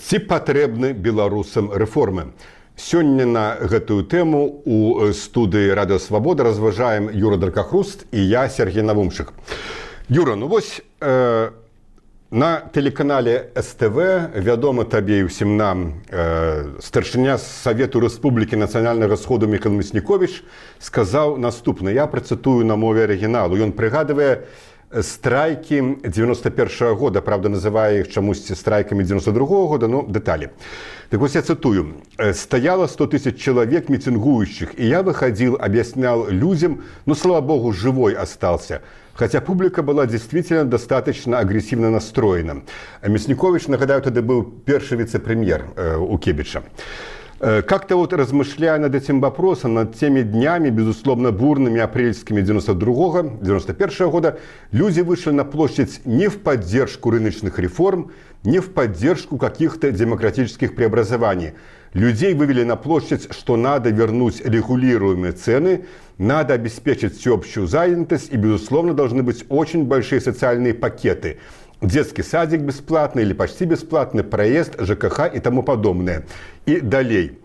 Ці патрэбны беларусам рэформы? Сёння на гэтую тэму у студыі Радыё Свабода разважаем Юра Дракахруст і я, Сергей Навумшык. Юра, ну вось на тэлеканале СТВ вядома табе і ўсім нам старшыня Савету Рэспублікі Нацыянальнага сходу Міхаіл Мясніковіч сказаў наступна. Я працытую на мове арыгіналу. Ён прыгадывае страйкі 91-го года, правда, называе іх чамусьці страйкамі 92-го года, но деталі. Так вот я цитую. «Стояло 100 тысяч человек митингующих, и я выходил, объяснял людям, но, слава богу, живой остался. Хотя публика была действительно достаточно агрессивно настроена». Мясніковіч, нагадаю, тогда был первый вице-премьер у Кебича. Как-то вот размышляя над этим вопросом, над теми днями, безусловно, бурными апрельскими 91-го года, люди вышли на площадь не в поддержку рыночных реформ, не в поддержку каких-то демократических преобразований. Людей вывели на площадь, что надо вернуть регулируемые цены, надо обеспечить всеобщую занятость и, безусловно, должны быть очень большие социальные пакеты. Детский садик бесплатный или почти бесплатный, проезд, ЖКХ и тому подобное. И далее.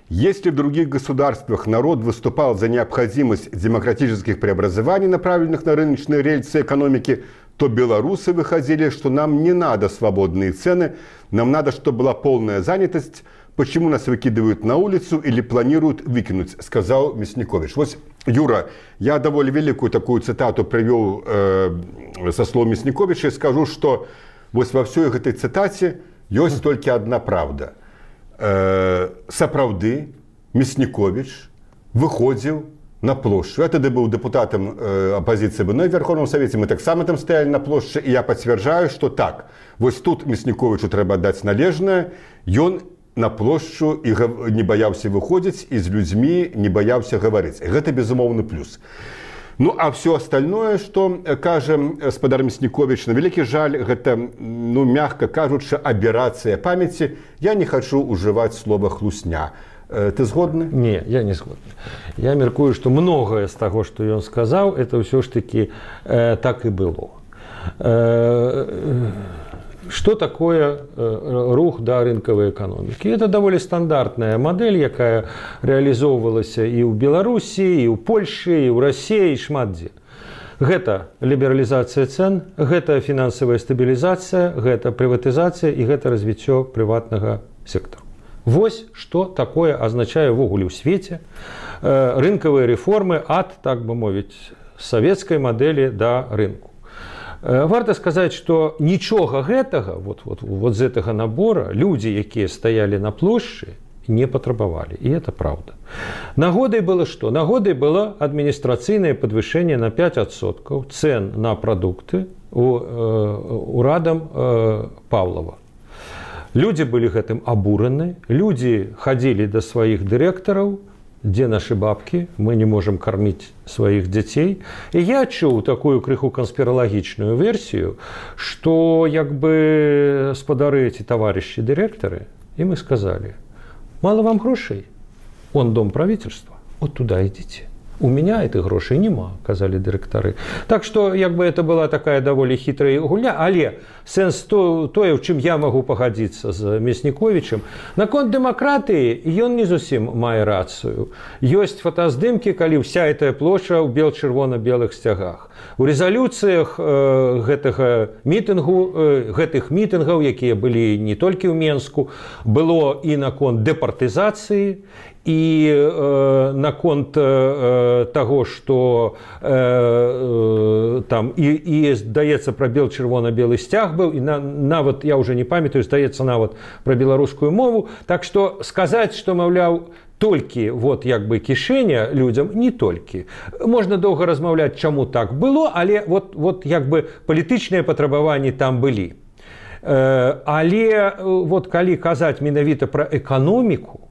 Если в других государствах народ выступал за необходимость демократических преобразований, направленных на рыночные рельсы экономики, то белорусы выходили, что нам не надо свободные цены, нам надо, чтобы была полная занятость. Почему нас выкидывают на улицу или планируют выкинуть, сказал Мясніковіч. Вот, Юра, я довольно великую такую цитату привел со слов Мясніковіча и скажу, что вот во всей этой цитате есть только одна правда. Сапраўды Мясніковіч выходил на площадь. Я тогда был депутатом оппозиции в Верховном Совете, мы так само там стояли на площади, и я подтверждаю, что так. Вот тут Мясніковічу треба отдать належное, и он на площу і не баяўся выходзіць, і з людзьмі не баяўся гаварыць. Гэта безумоўны плюс. Ну, а все остальное, что кажа гаспадар Мясніковіч, на вялікі жаль, гэта, ну, мягко кажучы, аберацыя памяці. Я не хочу уживать слово «хлусня». Ты згодны? Не, я не згодны. Я меркую, что многое з таго, што ён сказаў, это ўсё ж таки так і было. Что такое рух да рынковой экономики? Это довольно стандартная модель, якая реализовывалась и у Беларуси, и у Польши, и у России, и шмат дзе. Гэта либерализация цен, гэта финансовая стабилизация, гэта приватизация и гэта развитие приватного сектора. Вось что такое означает ввогуле ў свете рынковые реформы от, так бы мовіць, советской модели до рынку. Варта сказаць, што нічога гэтага, вот з гэтага набора, людзі, якія стаялі на плошчы, не патрабавалі. І это правда. Нагодай было што? Нагодай было адміністрацыйнае падвышэнне на 5% цен на прадукты урадам Павлова. Людзі былі гэтым абураны, людзі хадзілі да сваіх дырэктараў, где наши бабки, мы не можем кормить своих детей. И я чуў такую крыху конспирологичную версию, что як бы спадары эти товарищи директоры, им и сказали: мало вам грошей, он дом правительства, вот туда идите. У меня этих грошей нема, казали директары. Так что як бы это была такая довольно хитрая гульня, але сэнс тое, в чым я могу пагадзіцца з Мясніковічам, наконт дэмакратыі ён не зусім мае рацыю. Ёсць фотаздымкі, калі вся эта плошча ў бел-чырвона-белых сцягах. У рэзалюцыях гэтых мітынгаў, якія былі не толькі ў Менску, было і наконт дэпартызацыі, і наконт таго, што там і здаецца, пра бел-чырвона-белы сцяг быў, і нават, я ўжо не памятаю, здаецца, нават пра беларускую мову. Так што сказаць, што, маўляў, толькі вот як бы кішэня людзям, не толькі. Можна доўга размаўляць, чаму так было, але вот як бы палітычныя патрабаванні там былі. Але вот калі казаць менавіта пра эканоміку,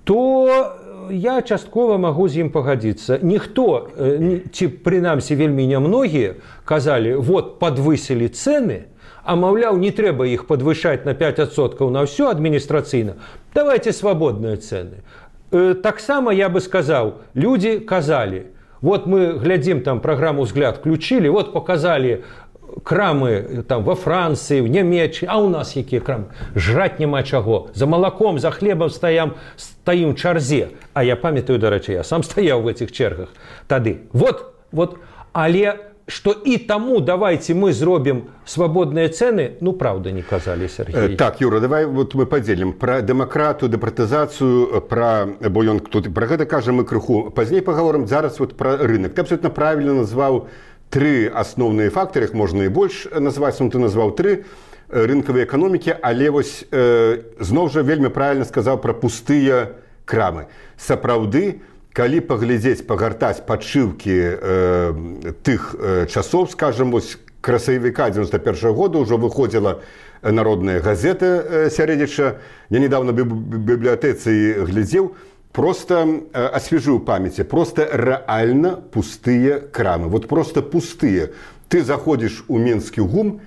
то я часткова могу з ім пагадзіцца. Ніхто, ці прынамсі вельмі нямногія, казалі, вот подвысілі цены, а маўляў, не трэба іх падвышаць на 5% на ўсё адміністрацыйна. Давайте свабодныя цены. Таксама я бы сказаў, людзі казалі, вот мы глядзім там праграму «Взгляд» включили, вот показали крамы там во Францыі, в Нямеччыны, а ў нас якія крамы? Жраць няма чаго. За малаком, за хлебам стаім ў чарзе. А я памятаю, дарэчы, я сам стаяў в этих чергах тады. Вот, але что и тому давайте мы зробим свободные цены, ну, правда, не казали, Сергей. Так, Юра, давай вот мы поделим. Про демократию, депратизацию, бо ён тут про гэта кажем мы крыху. Поздней поговорим, зараз вот про рынок. Ты абсолютно правильно назвал три основные факторы, их можно и больше назвать, но ты назвал три рынковые экономики, але вось зноў жа вельмі правильно сказал про пустые крамы. Сапраўды, калі паглядзець, пагартаць падшыўкі тых часоў, скажем, вось красавіка 91-го года ўжо выходзіла народная газета сярэдзіча. Я недавно в бібліятэцы глядзеў, просто освежил памяти, просто реально пустые крамы. Вот просто пустые. Ты заходишь у Минский ГУМ,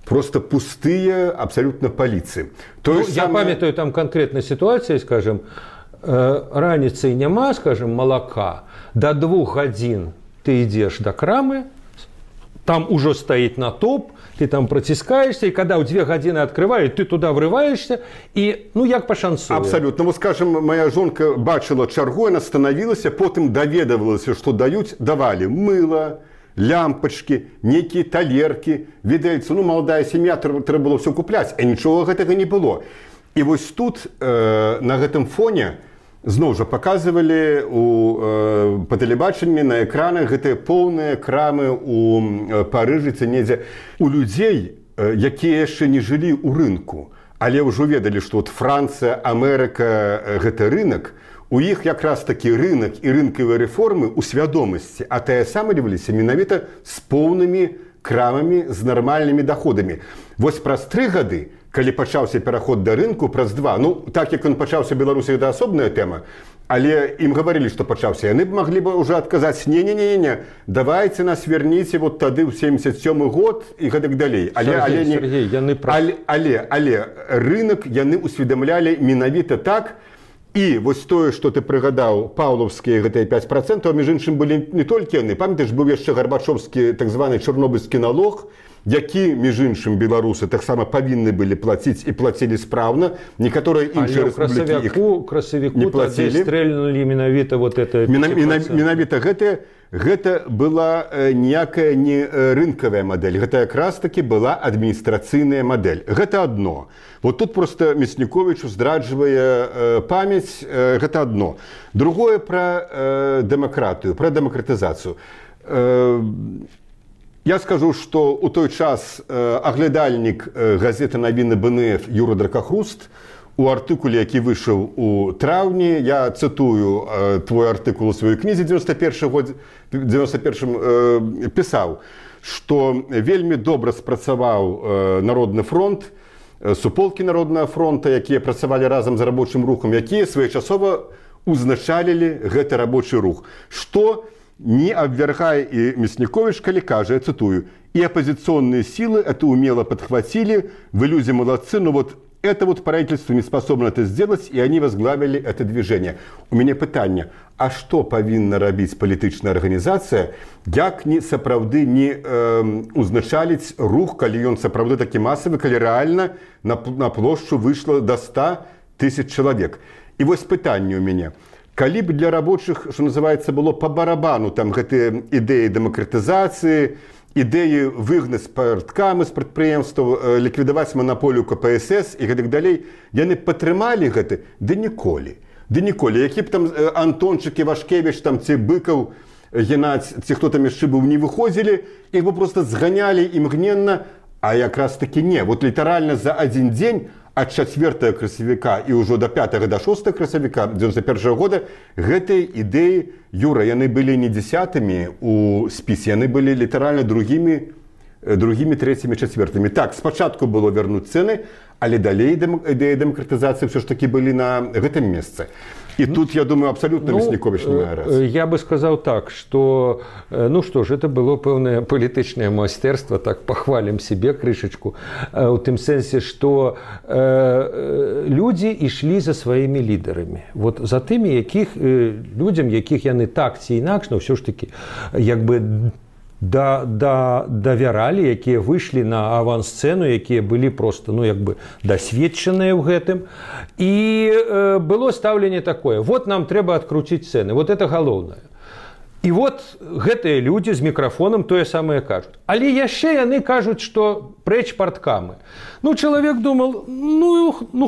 просто пустые абсолютно полиции. Ну, я памятаю там конкретная ситуация, скажем, раніцай няма, скажем, молока, до 2 гадзін ты идешь до крамы, там уже стоит натоп, ты там протискаешься, и когда в 2 гадзіны открывают, ты туда врываешься, и, ну, як по шансу. Абсолютно. Вот, скажем, моя жонка бачила чаргу, она становилась, потом доведывалась, что давали мыло, лямпочки, некие талерки. Видаецца, ну, молодая семья, треба было все куплять, а ничего гэтага не было. И вот тут, на гэтым фоне, зноў жа показывали по тэлебачанні на экранах гэтыя поўныя крамы у Парыжы ці недзе. У людзей, якія яшчэ не жылі ў рынку, але ўжо ведалі, што вот Францыя, Амерыка гэта рынок, у іх якраз такі рынок і рынкавыя рэформы ў свядомасці атаясамліваліся менавіта з поўнымі крамамі з нармальнымі доходамі. Вось праз 3 гады, калі пачаўся пераход да рынку, праз 2, ну, так як ён пачаўся ў Беларусі, гэта асобная тэма, але ім гаварылі, што пачаўся, яны б маглі бы ўжо адказаць: не, давайте нас верніце вот тады ў 77 год і гэтак далей. Сергей, яны але рынок яны усведамлялі менавіта так. І вось тое, што ты прыгадаў, паўлаўскія гэтыя 5%, а між іншым былі не толькі яны. Памятаеш, быў яшчэ гарбачоўскі так званы чорнобыльскі налог, які, між іншым, беларусы таксама павінны былі плаціць і плацілі спраўна. Некаторыя іншыя рэспублікі іх не плацілі. Стрэльнулі менавіта вот это 5%. Менавіта гэта была ніякая не рынкавая мадэль. Гэта якраз таки была адміністрацыйная мадэль. Гэта адно. Вот тут просто Мясніковіч здраджвае памяць, гэта адно. Другое про дэмакратыю, про дэмакратызацыю. Я скажу, что у той час аглядальнік газеты «Навіны БНФ» Юра Дракахруст у артыкуле, які выйшаў у траўні, я цытую твой артыкул у сваёй кнізе 91 пісаў, што вельмі добра спрацаваў Народны фронт, суполкі Народнага фронта, якія працавалі разам з рабочым рухам, якія своечасова узначалілі гэты рабочы рух. Што не обвергая и Мясніковіч, калі кажа, я цитую: «И оппозиционные силы это умело подхватили, вы люди молодцы, но вот это вот правительство не способно это сделать, и они возглавили это движение». У меня пытанне: а что павінна рабіць палітычная арганізацыя, як не сапраўды не узначаліць рух, калі ён сапраўды такі масавы, калі рэальна на плошчу выйшла до 100 тысяч чалавек. І вось пытанне у мяне: калі б для рабочых, что называется, было по барабану там гэтыя ідэі дэмакратызацыі, ідэі выгнаць парткамы з прадпрыемстваў, ліквідаваць манаполію КПСС і гэтак далей, яны падтрымалі гэта? Ды ніколі. Які б там Антончык, Івашкевіч там, ці Быкаў, Геннадзь, ці хто там яшчэ быў, не выходзілі, іх бы просто зганялі імгненна, а якраз таки не. Вот літаральна за один дзень от 4 красавіка і ўжо до 5 до 6 красавіка 91 года гэтыя ідэі, Юра, яны былі не 10-мі у спісе, яны былі літаральна другімі, трэцімі, чацвёртымі. Так, спачатку было вернуць цэны, але далей ідэі дэмакратызацыі все ж таки былі на гэтым месцы. И тут, я думаю, абсолютно Мясніковіч не мае рацыі. Я бы сказал так, что, ну что ж, это было пэўнае палітычнае майстэрства, так похвалим себе крышечку, у тым сэнсе, что люди ішлі за сваімі лідарамі. Вот за тымі, людзям, якіх яны так ці інакш, но все ж таки, як бы давяралі, якія выйшлі на авансцэну, якія былі просто дасведчаныя ў гэтым. І было стаўленне такое: вот нам трэба адкруціць цэны, вот это галоўнае. І вот гэтыя людзі з мікрафонам тое самае кажуць. Але яшчэ яны кажуць, што прэч парткамы. Чалавек думал,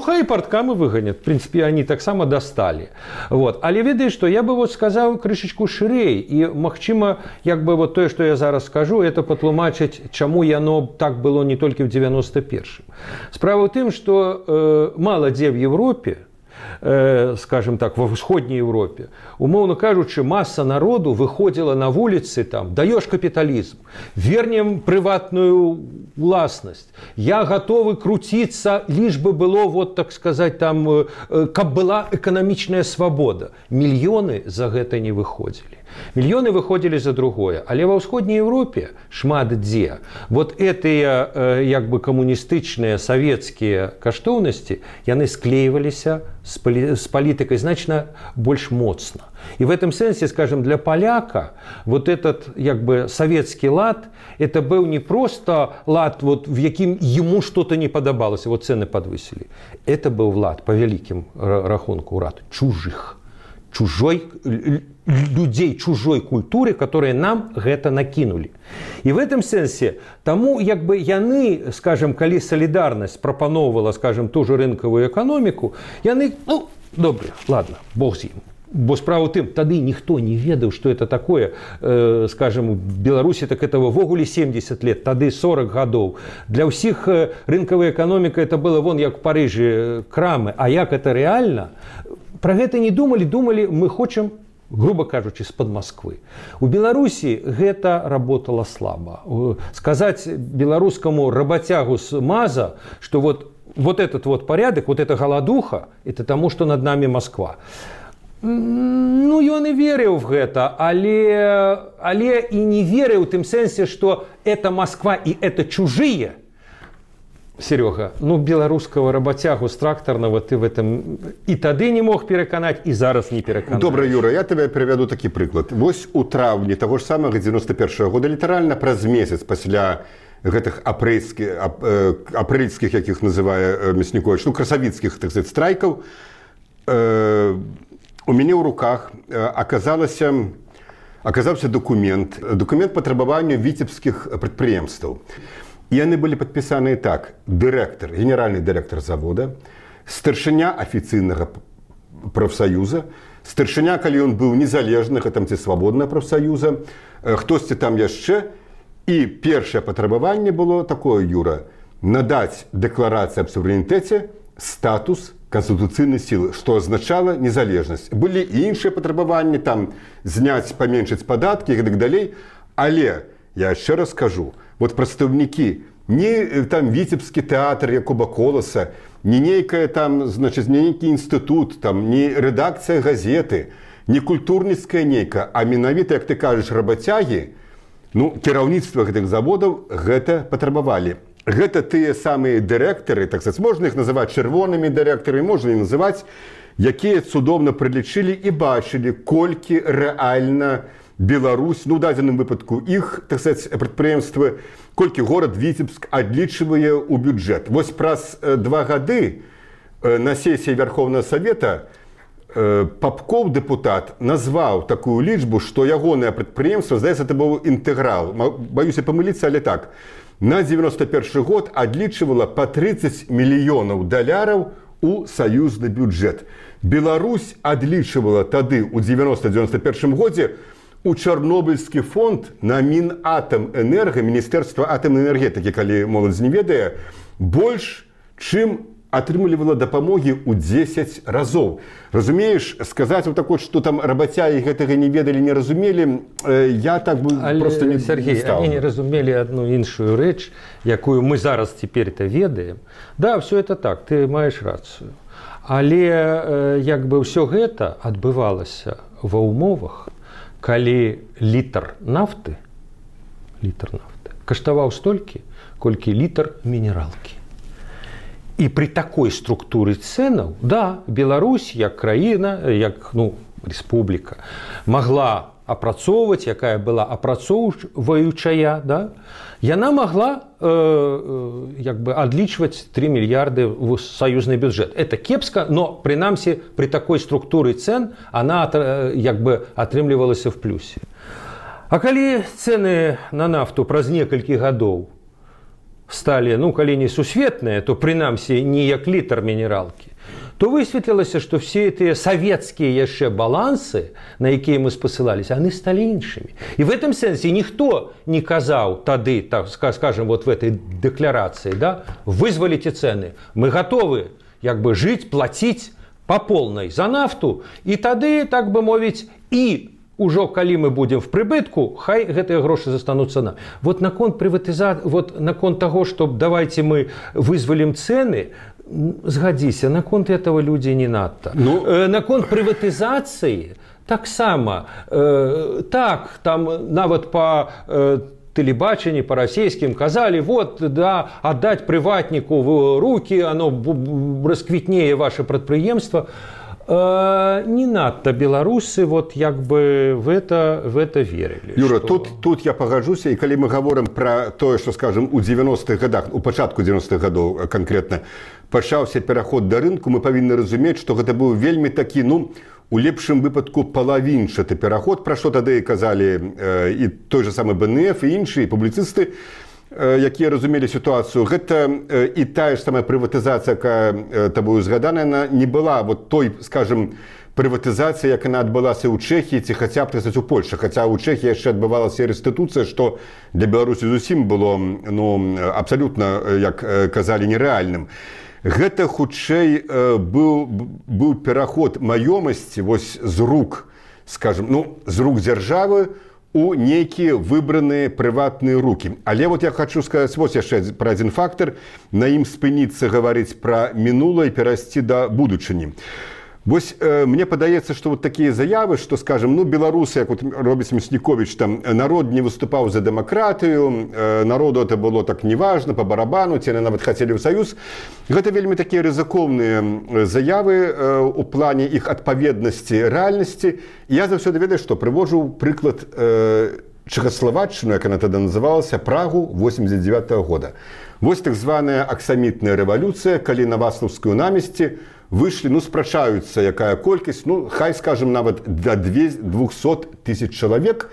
хай парткамы выганят. В принципе, они таксама дасталі. Але ведаеш што, я бы сказаў крышачку шырэй. І, магчыма, тое, што я зараз скажу, это патлумачыць, чаму яно так было не толькі ў 91-м. Справа ў тым, што мала дзе в Европе, скажем так, во ўсходняй Европе, умоўно кажучы, масса народу выходзіла на вуліцы, даёш капіталізм, вернем прыватную уласнасць, я готовы круціцца, лишь бы было, так сказать, каб была эканамічная свабода. Мільёны за гэта не выходзілі. Мільёны выходзілі за другое. Але ва ўсходняй Европе шмат дзе гэтыя камуністычныя савецкія каштоўнасці, яны склейваліся з палітыкай значна больш моцна. И в этом сенсе, скажем, для поляка этот советский лад, это был не просто лад, в яким ему что-то не подобалось, цены подвысили. Это был лад, по великим рахунку, лад чужих, людей чужой культуры, которые нам гэта накинули. И в этом сенсе, тому яны, скажем, калі солидарность прапановывала, скажем, ту же рынковую экономику, яны, добре, ладно, бог з ім. Бо справа ў тым, тады ніхто не ведаў, што это такое, скажем, у Беларусі так этого ввогуле 70 лет, тады 40 гадоў. Для ўсіх рынкавая эканоміка это было як в Парыжы крамы, а як это рэальна? Пра гэта не думалі, мы хочам, грубо кажучы, з-пад Москвы. У Беларусі гэта работала слаба. Сказаць беларускаму работягу з МАЗа, што этот порядок, эта голодуха, это тому, што над нами Москва. Ён і верыў в гэта, але і не верыў у тым сэнсе, што это Москва і это чужие. Серега, беларускага работягу з трактарнага ты в этом і тады не мог пераканаць, і зараз не пераканаць. Добра, Юра, я тебе прывяду такі прыклад. Вось у траўні таго ж самага 91-го года, літаральна праз месяц пасля гэтых апрэльскіх, якіх называе Мясніковіч, красавіцкіх, так сказать, страйкаў, у мяне ў руках аказаўся документ патрабавання віцебскіх прадпрыемстваў. І яны былі падпісаныя так: дырэктар, генеральны дырэктар завода, старшыня афіцыйнага прафсаюза, старшыня, калі ён быў незалежны, ці свабодная прафсаюза, хтосьці там яшчэ. І першае патрабаванне было такое, Юра: надаць дэкларацыі аб суверэнітэце статус конституцыйнай сілы, што азначала незалежнасць. Былі і іншыя патрабаванні, зняць, паменшыць падаткі і так далей. Але я яшчэ раз кажу, прадстаўнікі, не віцебскі тэатр Якуба Коласа, не нейкі інстытут, не рэдакцыя газеты, не культурніцкая нейка, а менавіта, як ты кажаш, работягі, кіраўніцтва гэтых заводаў гэта патрабавалі. Гэта тыя самыя дырэктары, так сказать, можна іх называць чырвонымі дырэктарамі, можна іх называць, якія цудоўна прылічылі і бачылі, колькі рэальна Беларусь, у дадзеным выпадку іх, так сказать, прадпрыемствы, колькі горад Віцебск адлічвае ў бюджэт. Вось праз 2 гады на сесіі Верховнага Савета Попков, депутат, назваў такую лічбу, што ягонае прадпрыемства, здаецца, это быў інтэграл. Баюся памыліцца, але так. На 91 год адлічвала па 30 мільёнаў даляраў у саюзны бюджэт. Беларусь адлічвала тады, у 90-91 годзе, у Чарнобыльскі фонд на Мінатамэнерга, Міністэрства атамнай энергетыкі, калі моладзь не ведае, больш, чым атрымлівала дапамогі ў 10 разоў. Разумееш, сказаць што там работягі гэтага не ведалі, не разумелі, я так бы просто не стал. Сергей, они не разумелі одну іншую рэч, якую мы зараз цяпер-то ведаем. Да, все это так, ты маеш рацыю. Але ўсё гэта адбывалася ва ўмовах, калі літр нафты каштаваў столькі, колькі літр мінералкі. І при такой структуры цэнаў, да, Беларусь, як краіна, як, республіка, могла апрацоўваць, якая была апрацоўваючая, да, яна могла адлічваць 3 мільярды в саюзны бюджэт. Это кепска, но прынамсі при такой структуры цен она атрымлівалася в плюсе. А калі цены на нафту праз некалькі гадоў сталі, калі не сусветныя, то прынамсі не як літр мінералкі, то высветлілася, што все тыя савецкія яшчэ балансы, на якія мы спасылаліся, яны сталі іншымі. І в этом сэнсе ніхто не казаў тады, так скажем, вот в этой дэкларацыі, да, вызваліце цэны, мы гатовы жыць, плаціць па полнай за нафту, і тады, так бы мовіць, і ужо калі мы будем в прыбытку, хай гэтыя грошы застануцца нам. Вот наконт прыватызацыі, вот наконт таго, што давайте мы вызвалім цэны, згадзіся, наконт этого людзі не надта. Наконт прыватызацыі таксама, так, там нават па тэлебачанні, па расійскім казалі, вот, да, аддаць прыватніку в рукі, оно расквітнее ваше прадпрыемства. Не надта беларусы вот в это верылі. Юра, што... тут я пагаджуся, і калі мы гаворым пра тое, што, скажем, у 90-х годах, у пачатку 90-х гадоў канкрэтна пачаўся пераход да рынку, мы павінны разумець, што гэта быў вельмі такі, у лепшым выпадку палавінчаты пераход, пра што тады казалі і той же самы БНФ, і іншыя публіцысты, якія разумелі сітуацыю. Гэта і тая ж самая прыватызацыя, якая табою згаданая, не была вот той, скажем, прыватызацыя, як яна адбылася ў Чэхіі ці хаця б у Польшчы. Хаця ў Чэхіі яшчэ адбывалася рэстытуцыя, што для Беларусі зусім было абсалютна, як казалі, нерэальным. Гэта хутчэй быў пераход маёмасці вось з рук, скажем, з рук дзяржавы у нейкія выбраныя прыватныя рукі. Але вот я хочу сказаць вось яшчэ пра адзін фактар, на ім спыніцца гаварыць пра мінулае і перайсці да будучыні. Вось мне падаецца, што вот такія заявы, што, скажем, беларусы, як вот робіць Мясніковіч, там народ не выступаў за дэмакратыю, народу это было так неважна, па барабану, ці яны нават хацелі ў саюз. Гэта вельмі такія рызыкоўныя заявы у плане іх адпаведнасці рэальнасці. Я заўсёды ведаю, што прыводжу прыклад Чэхаславаччыну, як яна тады называлася, Прагу 89-го года. Вось так званая аксамітная рэвалюцыя, калі на Васлаўскую намесці выйшлі, спрачаюцца, якая колькасць, хай, скажем, нават да 200 тысяч чалавек,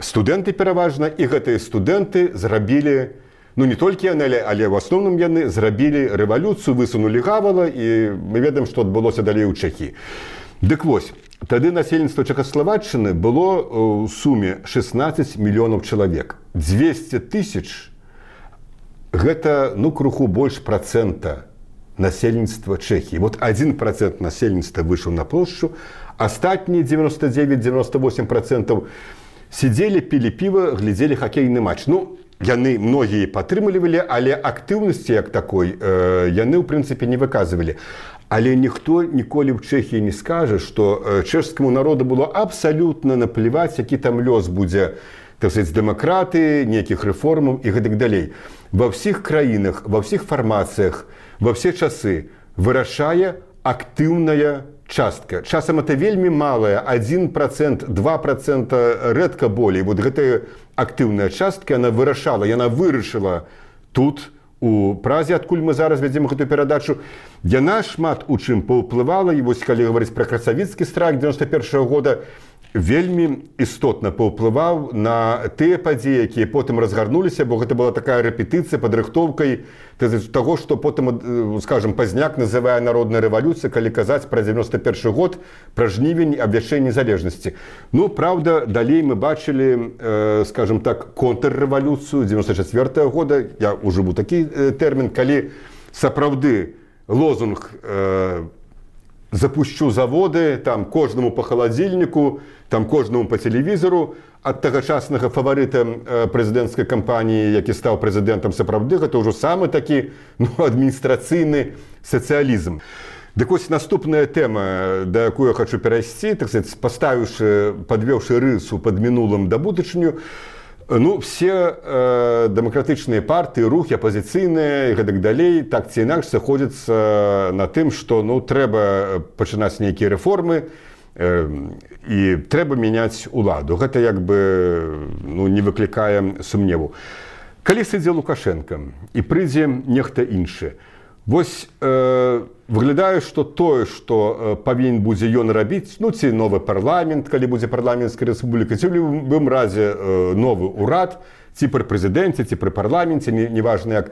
студэнты пераважна, і гэтыя студэнты зрабілі, не толькі яны, але ў асноўным яны зрабілі рэвалюцыю, высунулі гавала, і мы ведаем, што адбылося далей у Чэхіі. Дык вось, тады насельніцтва Чэхаславаччыны было ў суме 16 мільёнаў чалавек. 200 тысяч гэта, крыху больш працэнта насельніцтва Чэхіі. Вот 1% насельніцтва выйшаў на плошчу, астатнія 99-98% сидзелі, пілі піва, глядзелі хакейны матч. Яны многія падтрымлівалі, але актыўнасці як такой яны, ў прынцыпе, не выказвалі. Але ніхто ніколі ў Чэхіі не скажа, што чэшскаму народу было абсалютна наплеваць, які там лёс будзе, так сказать, дэмакраты, нейкіх рэформаў і гэтак далей. Ва ўсіх краінах, ва ўсіх фармацыях, во все часы вырашае актыўная частка. Часам это вельмі малая, 1%, 2%, рэдка болей. Вот гэтая актыўная частка, яна вырашала, яна вырашыла тут, у Празе, адкуль мы зараз вядзем гэтую перадачу. Яна шмат у чым паўплывала, і вось калі гаварыць пра красавіцкі страйк 91-го года, вельмі істотна паўплываў на тыя падзеі, якія потым разгарнуліся, бо гэта была такая рэпетыцыя, падрыхтоўкай таго, што потым, скажем, Пазняк называе народная рэвалюцыя, калі казаць пра 91 год, пра жнівень, абвяшчэнне незалежнасці. Праўда, далей мы бачылі, скажем так, контррэвалюцыю 94-го года, я ужыву такі тэрмін, калі сапраўды лозунг «запущу заводы», там кожнаму по халадзільніку, там кожнаму по телевізору, ад тагачаснага фаварыта прэзідэнцкай кампаніі, які стаў прэзідэнтам, сапраўды, гэта ўжо самы такі адміністрацыйны сацыялізм. Дык вось наступная тэма, да якую я хочу перайсці, так сказать, падвёўшы рысу пад мінулым да будучыню, все дэмакратычныя партыі, рухі, апазіцыйныя і гэтак далей, так ці інакш сыходзяцца на тым, што трэба пачынаць нейкія рэформы, і трэба мяняць уладу. Гэта як бы не выклікае сумневу. Калі сыдзе Лукашенко і прыйдзе нехта іншы, вось выглядае, што тое, што павінен будзе ён рабіць, ці новы парламент, калі будзе парламенцкая рэспубліка, ці ў любым разе новы ўрад, ці пры прэзідэнце, ці пры парламенце, неважна як,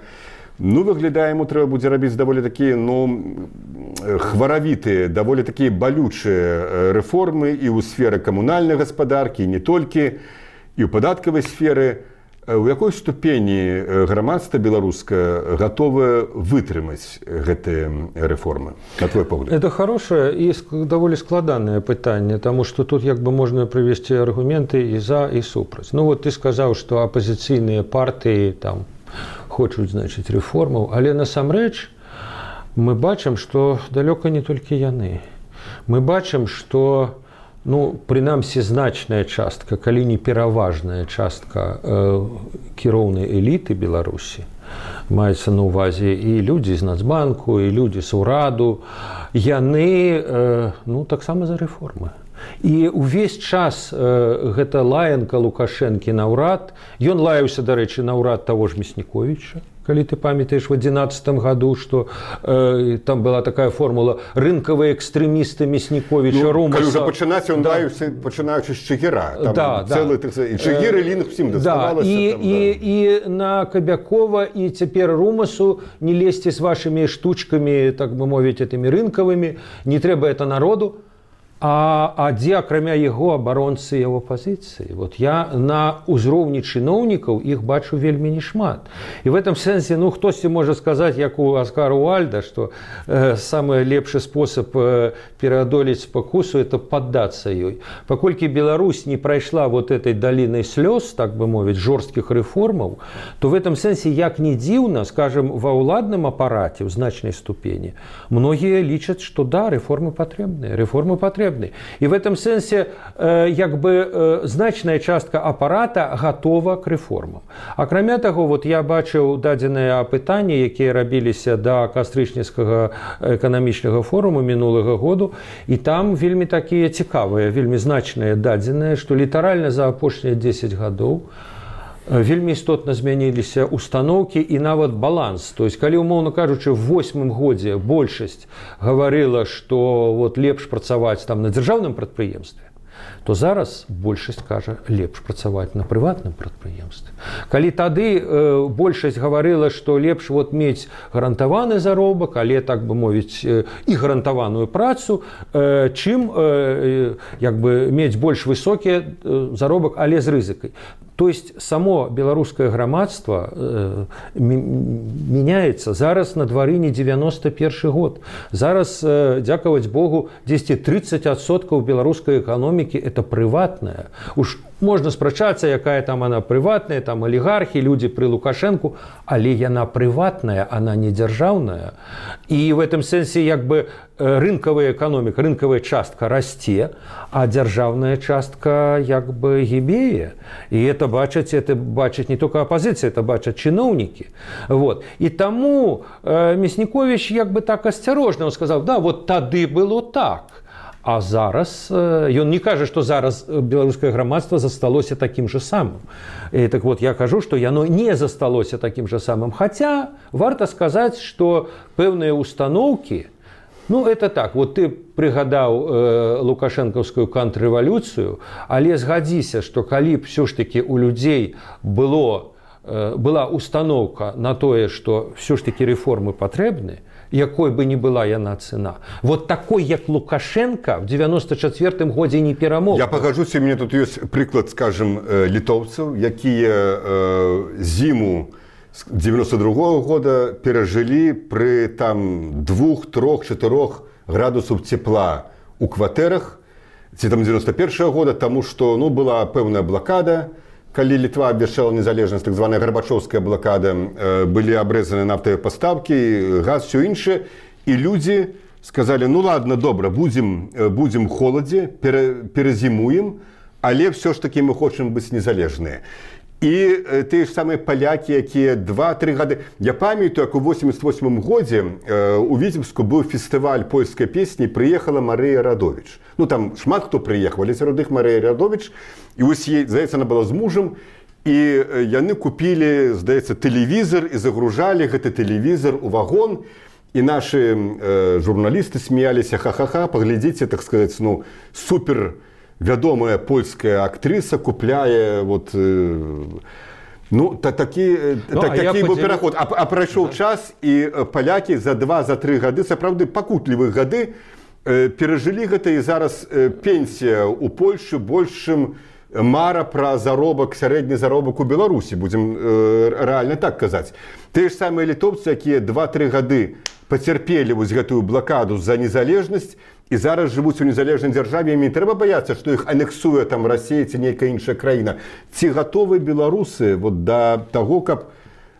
выглядае, яму трэба будзе рабіць даволі такія, хваравітыя, даволі такія балючыя рэформы і ў сферы камунальнай гаспадаркі, і не толькі, і ў падаткавай сферы. У якой ступені грамадства беларускае гатовае вытрымаць гэтыя рэформы, на твой погляд? Это хорошее и довольно складанное пытанне, потому что тут як бы можно привести аргументы и за, и супраць. Вот ты сказал, что оппозиционные партии там хочуць, значит, рэформаў, але насамрэч мы бачым, что далёка не толькі яны. Мы бачым, что прынамсі значная частка, калі не пераважная частка кіроўнай эліты Беларусі, маецца на ўвазе і людзі з Нацбанку, і людзі з ураду, яны таксама за рэформы. І ўвесь час гэта лаянка Лукашэнкі на ўрад, ён лаяўся, дарэчы, на ўрад таго ж Мясніковіча, калі ты памятаеш, в 2011 году, что там была такая формула «рынковые экстремисты Мясніковіча, Румаса». Калі ўжо пачынаць, ён лаяўся, пачынаючы з Чигіра. І Чигір, і Лінг всім даставалася. І на Кобякова, і цяпер Румасу не лезьце з вашими штучками, так бы мовіць, этими рынковыми, не трэба это народу. А дзе, акрамя яго, абаронцы яго пазіцыі? Я на ўзроўні чыноўнікаў іх бачу вельмі нешмат. І в этом сэнсе, хтосьці можа сказаць, як у Аскара Уальда, што самы лепшы спосаб пераадолець спакусу – это паддацца ёй. Паколькі Беларусь не прайшла этой далінай слёз, так бы мовіць, жорсткіх рэформаў, то в этом сэнсе, як не дзіўна, скажем, ва ўладным апараце ў значнай ступені, многія лічаць, што да, рэформы патрэбныя, И в этом сенсе значная частка апарата готова к рэформам. Акрамя таго, я бачыў дадзеныя апытанні, якія рабіліся да кастрычніцкага эканамічнага форуму мінулага году, і там вельмі такія цікавыя, вельмі значныя дадзеныя, што літаральна за апошнія 10 гадоў вельмі істотна змяніліся установкі і нават баланс. То есть, калі, умоўна кажучы, в 8-м годзе большасць гаварыла, што лепш працаваць там на дзяржаўным прадпрыемстве, то зараз большасць кажа, лепш працаваць на прыватным прадпрыемстве. Калі тады большасць гаварыла, што лепш мець гарантаваны заробак, але, так бы мовіць, і гарантаваную працу, чым мець больш высокі заробак, але з рызыкай. То есть само беларускае грамадства меняется. Зараз на двары не 91 год. Зараз, дзякаваць Богу, 10-30% беларускай эканомікі это прыватная. Уж можна спрачацца, якая там она прыватная, там алігархі, людзі пры Лукашэнку, але яна прыватная, она не дзяржаўная. І в этом сэнсе рынкавая эканоміка, рынкавая частка расце, а дзяржаўная частка гібее. І это бачаць не только апозіцыя, это бачаць чыноўнікі. І таму Мясніковіч так асцярожна, он сказаў, да, тады было так. А зараз, ён не кажа, што зараз беларускае грамадства засталося такім же самым. І так я кажу, што яно не засталося такім же самым. Хаця, варта сказаць, што пэўныя установкі, это так, ты прыгадаў лукашэнкаўскую контррэвалюцыю, але згадзіся, што калі б ўсё ж такі у людзей была установка на тое, што ўсё ж такі рэформы патрэбны, якой бы ни была яна цена. Такой, як Лукашенко, в 94-м годзе не перамог. Я пагажуся, у меня тут ёсць прыклад, скажем, літоўцаў, якія зіму 92-го года перажылі пры 2, 3, 4 градусаў цепла у кватэрах, ці 91-го года, таму што была пэўная блакада, калі Літва абвяшчала незалежнасць, так званая Гарбачоўская блакада, былі абрэзаны нафтавыя пастаўкі, газ, усё іншае, і людзі сказалі, ладно, добра, будзем у холадзе, перазімуем, але ўсё ж такі мы хочам быць незалежныя. І тыя ж самыя палякі, якія 2-3 гады. Я памятаю, як у 88 годзе у Віцебску быў фестываль польскай песні, прыехала Марыя Радовіч. Ну там шмат хто прыехаў, але сярод іх Марыя Радовіч. І вось ей, здаецца, она была з мужам, і яны купілі, здаецца, тэлевізор і загружалі гэты тэлевізор у вагон. І нашы журналісты смяяліся, ха-ха-ха, паглядзіце, так сказаць, ну, супер вядомая польская актрыса купляе вот, ну, такі быў пераход. А прайшоў час, і палякі за 2-3 гады, сапраўды пакутлівых гады, перажылі гэта, і зараз пенсія ў Польшы большым мара пра заробак, сярэдні заробак у Беларусі, будзем рэальна так казаць. Тыя ж самыя літоўцы, якія 2-3 гады пацярпелі вось гэтую блакаду за незалежнасць, і зараз жывуць у незалежнай дзяржаве, ім не трэба баяцца, што іх анексуе там Расія ці нейкая іншая краіна. Ці гатовы беларусы вот да таго, каб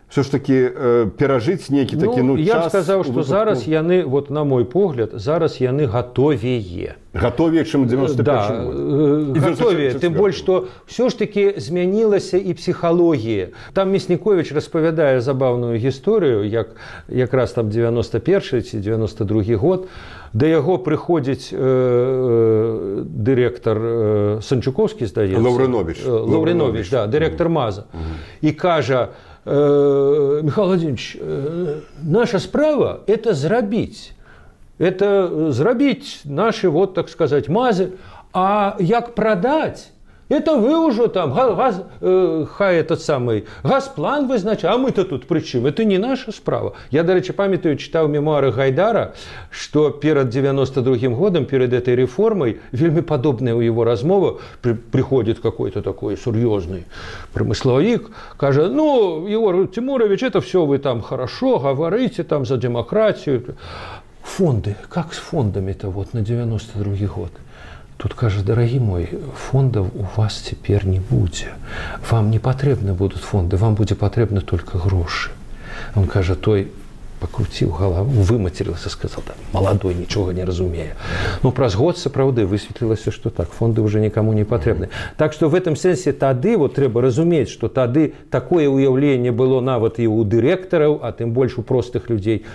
все ж таки перажыць нейкі такі, ну, час? Я б сказаў, што зараз яны, вот на мой погляд, зараз яны гатовее. Гатовее, чым 91 год. Гатовее, тым больш, што ўсё ж таки змянілася і псіхалогія. Там Мясніковіч распавядае забаўную гісторыю, як якраз там 91 ці 92 год, да яго прыходзіць дырэктар Санчукоўскі, здаецца. Лаўрыновіч, да, дырэктар МАЗа. І кажа: Михаил Владимирович, наша справа – это зрабіць. Это зрабіць наши, вот так сказать, МАЗы. А як продать, это вы уже там, хай этот самый газплан вызначае, а мы-то тут при чым? Это не наша справа. Я, до речі, памятаю, читал мемуары Гайдара, что перед 92 годом, перед этой реформой, вельми подобная у его размова, приходит какой-то такой серьезный промысловик, кажет: ну, Егор Тимурович, это все вы там хорошо говорите там за демократию. Фонды, как с фондами-то вот на 92 год? Тут кажа: дорогие мой, фондов у вас теперь не будзе. Вам не патрэбны будут фонды, вам будзе патрэбны только грошы. Он кажа, той покрутил голову, выматерился, сказал: да, молодой, ничего не разумея. Но праз год сапраўды высветлілася, что так, фонды уже никому не патрэбны. Так что в этом сенсе тады вот трэба разумець, что тады такое уяўленне было нават і у дырэктараў, а тым больш у простых людзей.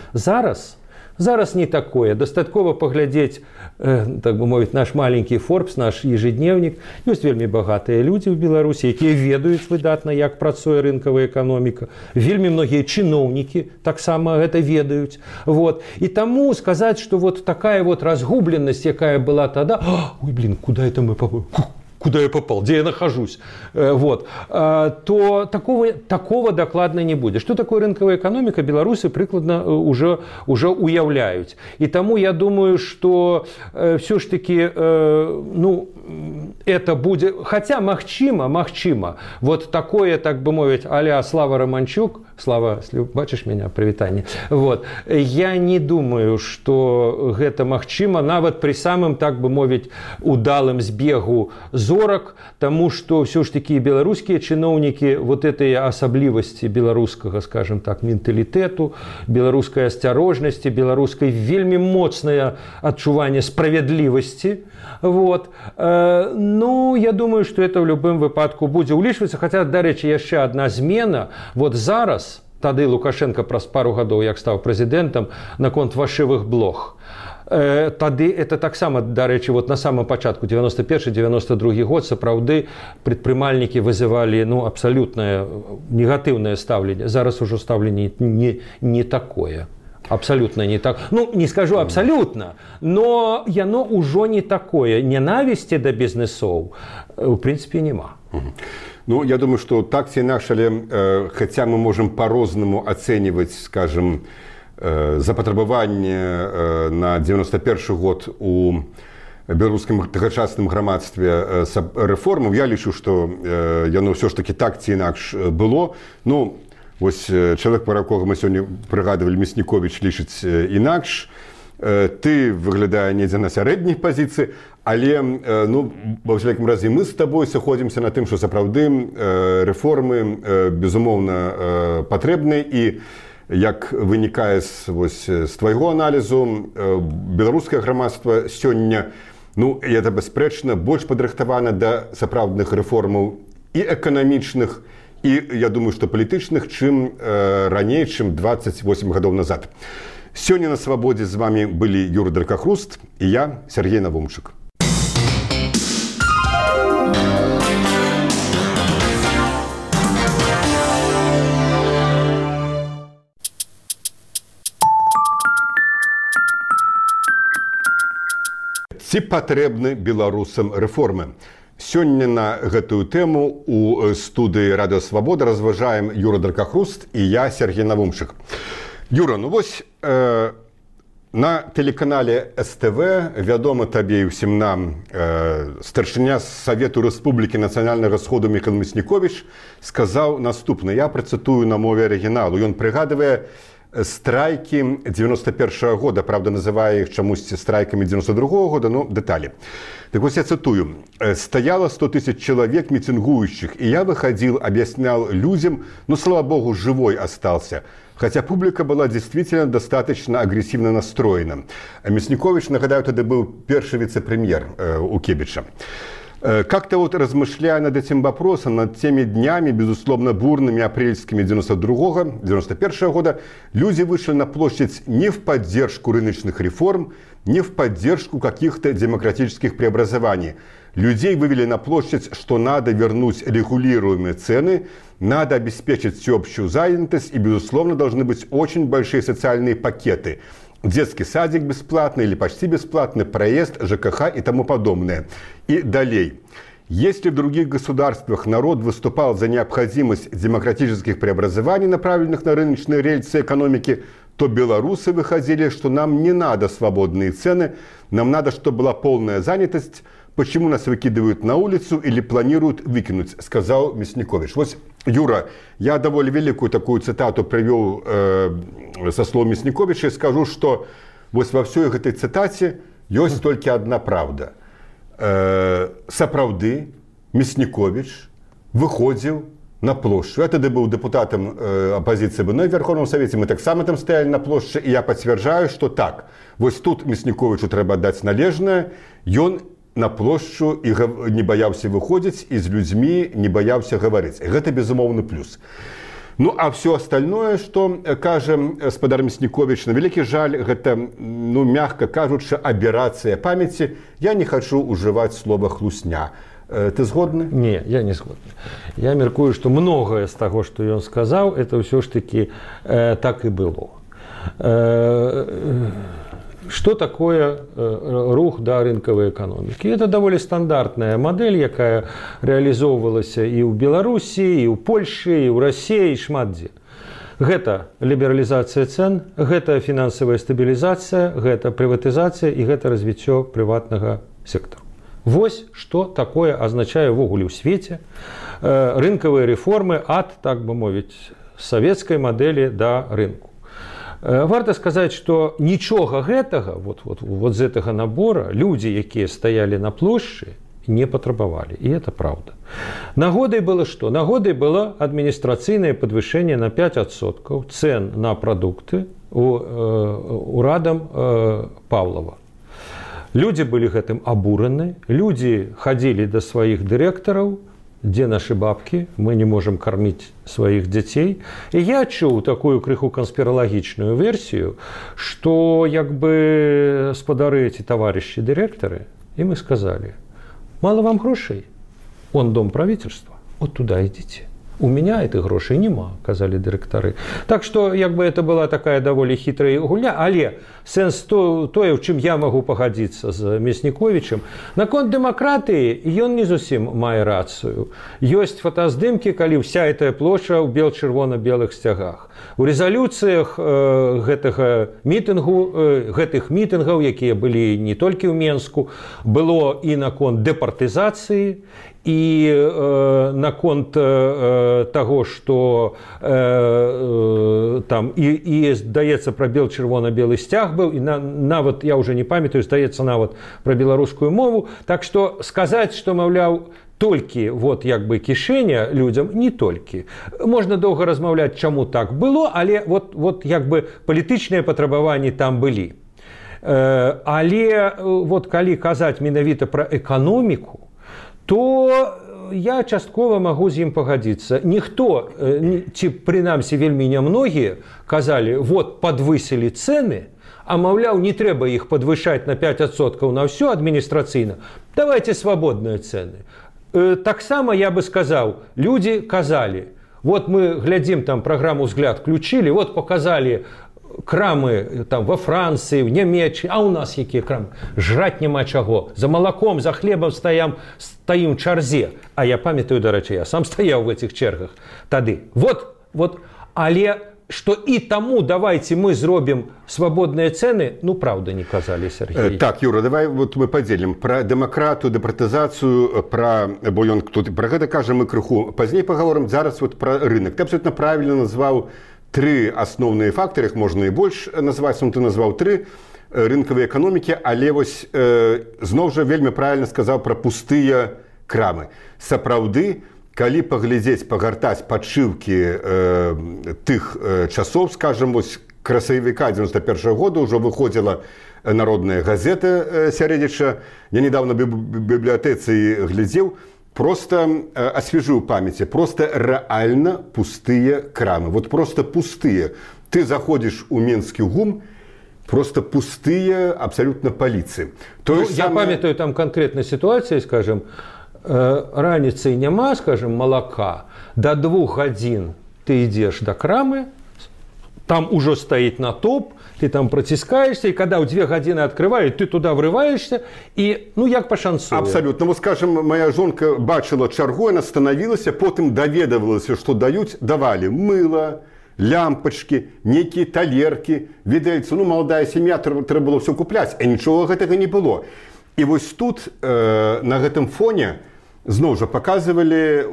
Зараз не такое. Дастаткова паглядзець, так бы мовіць, наш маленькі Forbes, наш ежедневнік. Ёсць вельмі багатыя людзі ў Беларусі, якія ведаюць выдатна, як працуе рынкавая эканоміка. Вельмі многія чыноўнікі таксама гэта ведаюць. Вот. І таму сказаць, што вот такая вот разгубленасць, якая была тада: ой, блин, куда это мы попали? Куда я попал, где я нахожусь, вот, то такого докладно не будет. Что такое рынковая экономика, белорусы прикладно уже уявляют. И тому я думаю, что все ж таки, ну, это будет, хотя магчыма, вот такое, так бы мовить, а-ля Слава Романчук, Слава, бачыш меня, привітанне, вот, я не думаю, что гэта магчыма нават при самым, так бы мовить, удалым збегу зорак, тому что все ж таки беларускія чыноўнікі вот этой асаблівасці беларускага, скажем так, менталітэту, беларускай асцярожнасці, беларускай вельмі моцнае адчуванне справядлівасці, вот, ну, я думаю, что это в любым выпадку будзе ўлічвацца, хотя, дарэчы, яшчэ одна змена, вот зараз, тады Лукашенко праз пару гадоў, як стаў прэзідэнтам, наконт фальшывых блог. Тады это таксама, дарэчы, вот на самом пачатку 91-92 год сапраўды прадпрымальнікі вызывалі, ну, абсалютнае негатыўнае стаўленне. Зараз ужо стаўленне не такое. Абсолютно не так. Ну, не скажу абсолютно, но яно ўжо не такое. Ненавісці да бізнесоў, в принципе, нема. Ну, я думаю, что так ці інакш, але хотя мы можем по-рознаму ацэньваць, скажем, запатрабаванне на 91 год у беларускім тагачасным грамадстве рэформаў, я лічу, што яно ўсё ж таки так ці інакш было. Ну, вось чалавек, пра якога мы сёння прыгадывалі, Мясніковіч, лічыць інакш. Ты выглядае недзе на сярэдняй пазіцыі, але, ну, ва ўсякім разе мы з табой сыходзімся на тым, што сапраўды рэформы, безумоўна, патрэбныя, і як вынікае з твайго аналізу, беларускае грамадства сёння, ну, і это бясспрэчна, больш падрыхтавана да сапраўдных рэформаў і эканамічных, і я думаю, што палітычных, чым раней, чым 28 гадоў назад. Сёння на свабодзе з вами былі Юра Дракахруст і я, Сергей Навумчык. Ці патрэбны беларусам рэформы? Сёння на гэтую тэму у студыі Радыё Свабода разважаем Юра Дракахруст і я, Сергей Навумчык. Юра, ну вось на тэлеканале СТВ вядома табе і ўсім нам старшыня Савету Рэспублікі нацыянальнага сходу Міхаіл Мясніковіч сказаў наступна. Я працытую на мове арыгіналу. Ён прыгадвае страйкі 91-го года, правда, называе іх чамусьці страйкамі 92-го года, но деталі. Так вот, я цитую. «Стояло 100 тысяч человек митингующих, и я выходил, объяснял людям, но, слава богу, живой остался. Хотя публика была действительно достаточно агрессивно настроена». Мяснікович, нагадаю, тогда был первый вице-премьер у Кебича. Как-то вот размышляя над этим вопросом, над теми днями, безусловно, бурными апрельскими 91 года, люди вышли на площадь не в поддержку рыночных реформ, не в поддержку каких-то демократических преобразований. Людей вывели на площадь, что надо вернуть регулируемые цены, надо обеспечить всеобщую занятость и, безусловно, должны быть очень большие социальные пакеты. Детский садик бесплатный или почти бесплатный, проезд, ЖКХ и тому подобное. И далее. Если в других государствах народ выступал за необходимость демократических преобразований, направленных на рыночные рельсы экономики, то белорусы выходили, что нам не надо свободные цены, нам надо, чтобы была полная занятость. Почему нас выкидывают на улицу или планируют выкинуть, сказал Мяснікович. Вот, Юра, я довольно великую такую цитату привел со слов Мясніковича и скажу, что вот во всей этой цитате есть только одна правда. Сапраўды Мяснікович выходил на площадь. Я тогда был депутатом оппозиции в Верховном Совете, мы так само там стояли на площади, и я подтверждаю, что так. Вот тут Мясніковичу треба дать належное, и он на площу і не баяўся выходзіць, і з людзьмі не баяўся гаварыць. Гэта безумоўны плюс. Ну, а все остальное, что кажа гаспадар Мяснікович, на вялікі жаль, гэта, ну, мягко кажучы, аберацыя памяці. Я не хочу уживать слово «хлусня». Ты згодны? Не, я не згодны. Я меркую, что многое з таго, што ён сказаў, это ўсё ж таки так і было. Что такое рух да рынкавай эканомікі? Это даволі стандартная модель, якая реалізоўвалася і ў Беларусі, і ў Польшы, і ў Расіі, і шмат дзе. Гэта лібералізацыя цен, гэта фінансавая стабілізацыя, гэта прыватызацыя і гэта развіццё прыватнага сектару. Вось што такое азначае ўвогуле ў свеце рынкавыя рэформы ад, так бы мовіць, савецкай мадэлі да рынку. Варта сказаць, што нічога гэтага, вот з гэтага набора, людзі, якія стаялі на плошчы, не патрабавалі. І это правда. Нагодай было што? Нагодай было адміністрацыйнае падвышэнне на 5% цен на прадукты урадам Павлова. Людзі былі гэтым абураны, людзі хадзілі да сваіх дырэктараў, где наши бабки, мы не можем кормить своих детей. И я чуў такую крыху конспирологичную версию, что як бы спадары эти товарищи директоры, им и сказали: мало вам грошей, он дом правительства, вот туда идите. У меня этих грошей нема, казали дырэктары. Так что як бы это была такая даволі хитрая гульня, але сэнс тое, у чым я могу пагадзіцца з Мясніковічам, наконт дэмакратыі ён не зусім мае рацыю. Ёсць фотаздымкі, калі вся эта плошча ў бел-чырвона-белых сцягах. У рэзалюцыях гэтых мітынгаў, якія былі не толькі ў Менску, было і наконт дэпартызацыі, і наконт таго, што там і здаецца, пра бел-чырвона-белы сцяг быў, і нават, я ўжо не памятаю, здаецца, нават пра беларускую мову. Так што сказаць, што, маўляў, толькі вот як бы кішэня людзям, не толькі. Можна доўга размаўляць, чаму так было, але вот як бы палітычныя патрабаванні там былі. Але вот калі казаць менавіта пра эканоміку, то я часткова магу з ім пагадзіцца. Ніхто, ці прынамсі вельмі нямногія, казалі, вот падвысілі цэны, а маўляў, не трэба іх падвышаць на 5% на ўсё адміністрацыйна. Давайте свабодныя цэны. Таксама я бы сказаў, людзі казалі, вот мы глядзім там праграму «Взгляд» включили, вот показали крамы там во Францыі, в Нямецчыне, а у нас якія крамы? Жраць няма чаго. За малаком, за хлебам стаім в чарзе. А я памятаю, дарэчы, я сам стаяў в этих чергах тады. Вот, але что и тому давайте мы зробім свободные цены, ну, правда, не казали, Сергей. Так, Юра, давай вот мы поделим. Про демократию, департизацию, бо ён тут про гэта кажем мы крыху. Пазней поговорим, зараз вот про рынок. Ты абсолютно правильно назвал три основные факторы, их можно и больше назвать, но ты назвал три рынковые экономики, але вось зноў жа вельмі правильно сказал про пустые крамы. Сапраўды, калі паглядзець, пагартаць падшыўкі тых часоў, скажем, вось красавіка 91-го года ўжо выходзіла народная газета сярэдзіча. Я недавно в бібліятэцы глядзеў, просто освежил в памяти, просто реально пустые крамы. Вот просто пустые. Ты заходишь у Минский ГУМ, просто пустые абсолютно полиции. Я памятаю там конкретной ситуации, скажем, раніцай няма, скажем, молока, до 2 гадзін ты идешь до крамы, там уже стоит натоп, ты там протискаешься, и когда у 2 гадзіны открывают, ты туда врываешься, и, ну, як пашанцуе. Абсолютно. Вот, скажем, моя жонка бачила чаргу, она становилась, потом доведывалась, что дают, давали мыло, лямпочки, некие талерки, видельцы. Ну, молодая семья, треба было все куплять, а ничего гэтага не было. И вот тут, на гэтым фоне, зноў жа паказвалі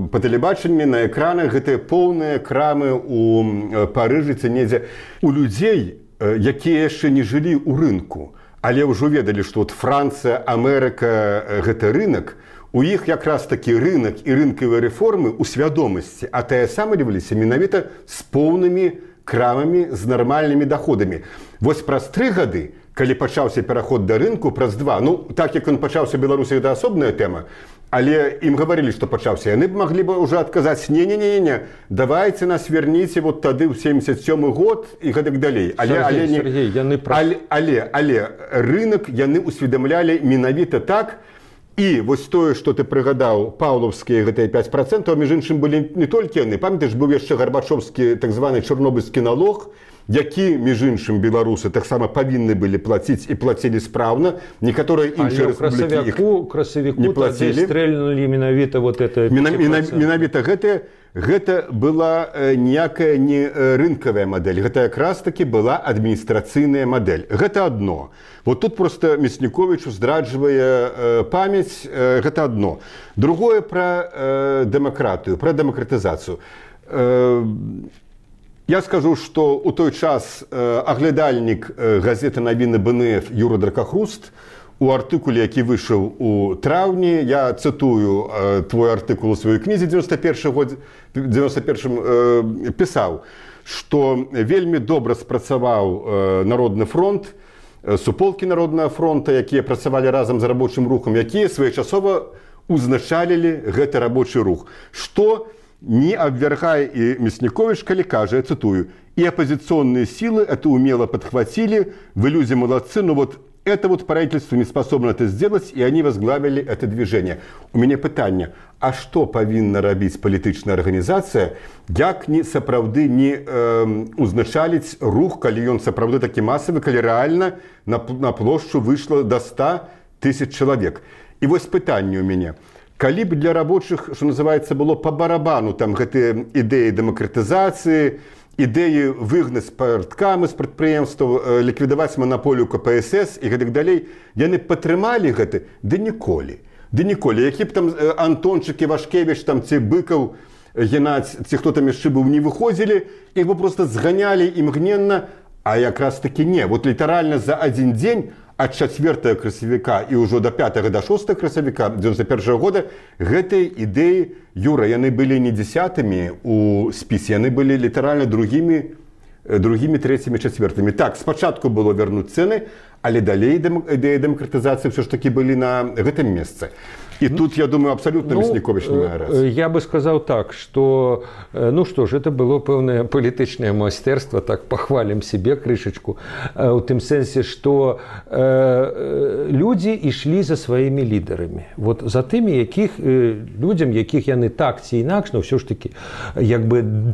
па тэлебачанні на экранах гэтыя поўныя крамы ў Парыжы ці недзе. У людзей, якія яшчэ не жылі ў рынку, але ўжо ведалі, што Францыя, Амерыка гэта рынок, у іх якраз такі рынок і рынкавыя рэформы ў свядомасці атаясамліваліся менавіта з поўнымі крамамі, з нармальнымі доходамі. Вось праз 3 гады, калі пачаўся пераход да рынку, праз 2, ну, так як ён пачаўся ў Беларусі, гэта асобная тэма, але ім гаварылі, што пачаўся, яны б маглі бы ўжо адказаць, не, давайте нас верніце вот тады ў 77 год і гэтак далей. Сергей, але рынок яны усведамлялі менавіта так, і вось тое, што ты прыгадаў, паўлаўскія гэтыя 5%, а між іншым былі не толькі яны, памятаеш, быў яшчэ гарбачоўскі так званы чорнобыльскі налог, які, між іншым, беларусы таксама павінны былі плаціць і плацілі спраўна. Некаторыя іншыя рэспублікі іх не плацілі. Стрэльнулі менавіта вот это 5%. Менавіта гэта была ніякая не рынкавая мадэль, гэта якраз таки была адміністрацыйная мадэль. Гэта адно. Вот тут просто Мясніковічу здраджвае памяць, гэта адно. Другое пра дэмакратыю, пра дэмакратызацыю. Я скажу, што ў той час аглядальнік газеты «Навіны БНФ» Юра Дракахруст у артыкуле, які выйшаў у траўні, я цытую твой артыкул у сваёй кнізе 91 пісаў, што вельмі добра спрацаваў Народны фронт, суполкі Народнага фронта, якія працавалі разам з рабочым рухам, якія своечасова узначалілі гэты рабочы рух. Што не обвергая и Мяснікович, калі кажа, я цитую, «И оппозиционные силы это умело подхватили, вы люди молодцы, но вот это вот правительство не способно это сделать, и они возглавили это движение». У меня питание, а что повинна рабіць палітычная арганізацыя, як не сапраўды не узначаліць рух, калі ён сапраўды такі масавы, калі рэальна на плошчу выйшла до 100 000 чалавек. І вось пытанне у мяне. Калі б для рабочых, што называецца, было па барабану там гэтыя ідэі дэмакратызацыі, ідэі выгнаць парткамы з прадпрыемстваў, ліквідаваць манаполію КПСС і гэтак далей, яны падтрымалі гэта? Ды ніколі. Які б там Антончык, Івашкевіч, там ці Быкаў, Геннадзь, ці хто там яшчэ быў, не выходзілі, іх бы просто зганялі імгненна, а якраз такі не. Вот літаральна за адзін дзень ад 4 красавіка і ўжо до 5 до 6 красавіка 91 года гэтыя ідэі, Юра, яны былі не 10-мі у спісе, яны былі літаральна другімі, 3-мі, 4-мі. Так, спачатку было вернуць цэны, але далей ідэі дэмакратызацыі ўсё ж такі былі на гэтым месцы. И тут, я думаю, абсолютно Мясникович не мае рацыі. Я бы сказал так, что, ну что ж, это было пэўнае палітычнае майстэрства, так похвалим себе крышечку, у тым сэнсе, что люди ішлі за сваімі лідарамі. Вот за тымі, якіх людзям, якіх яны так ці інакш, но ўсё ж таки, як бы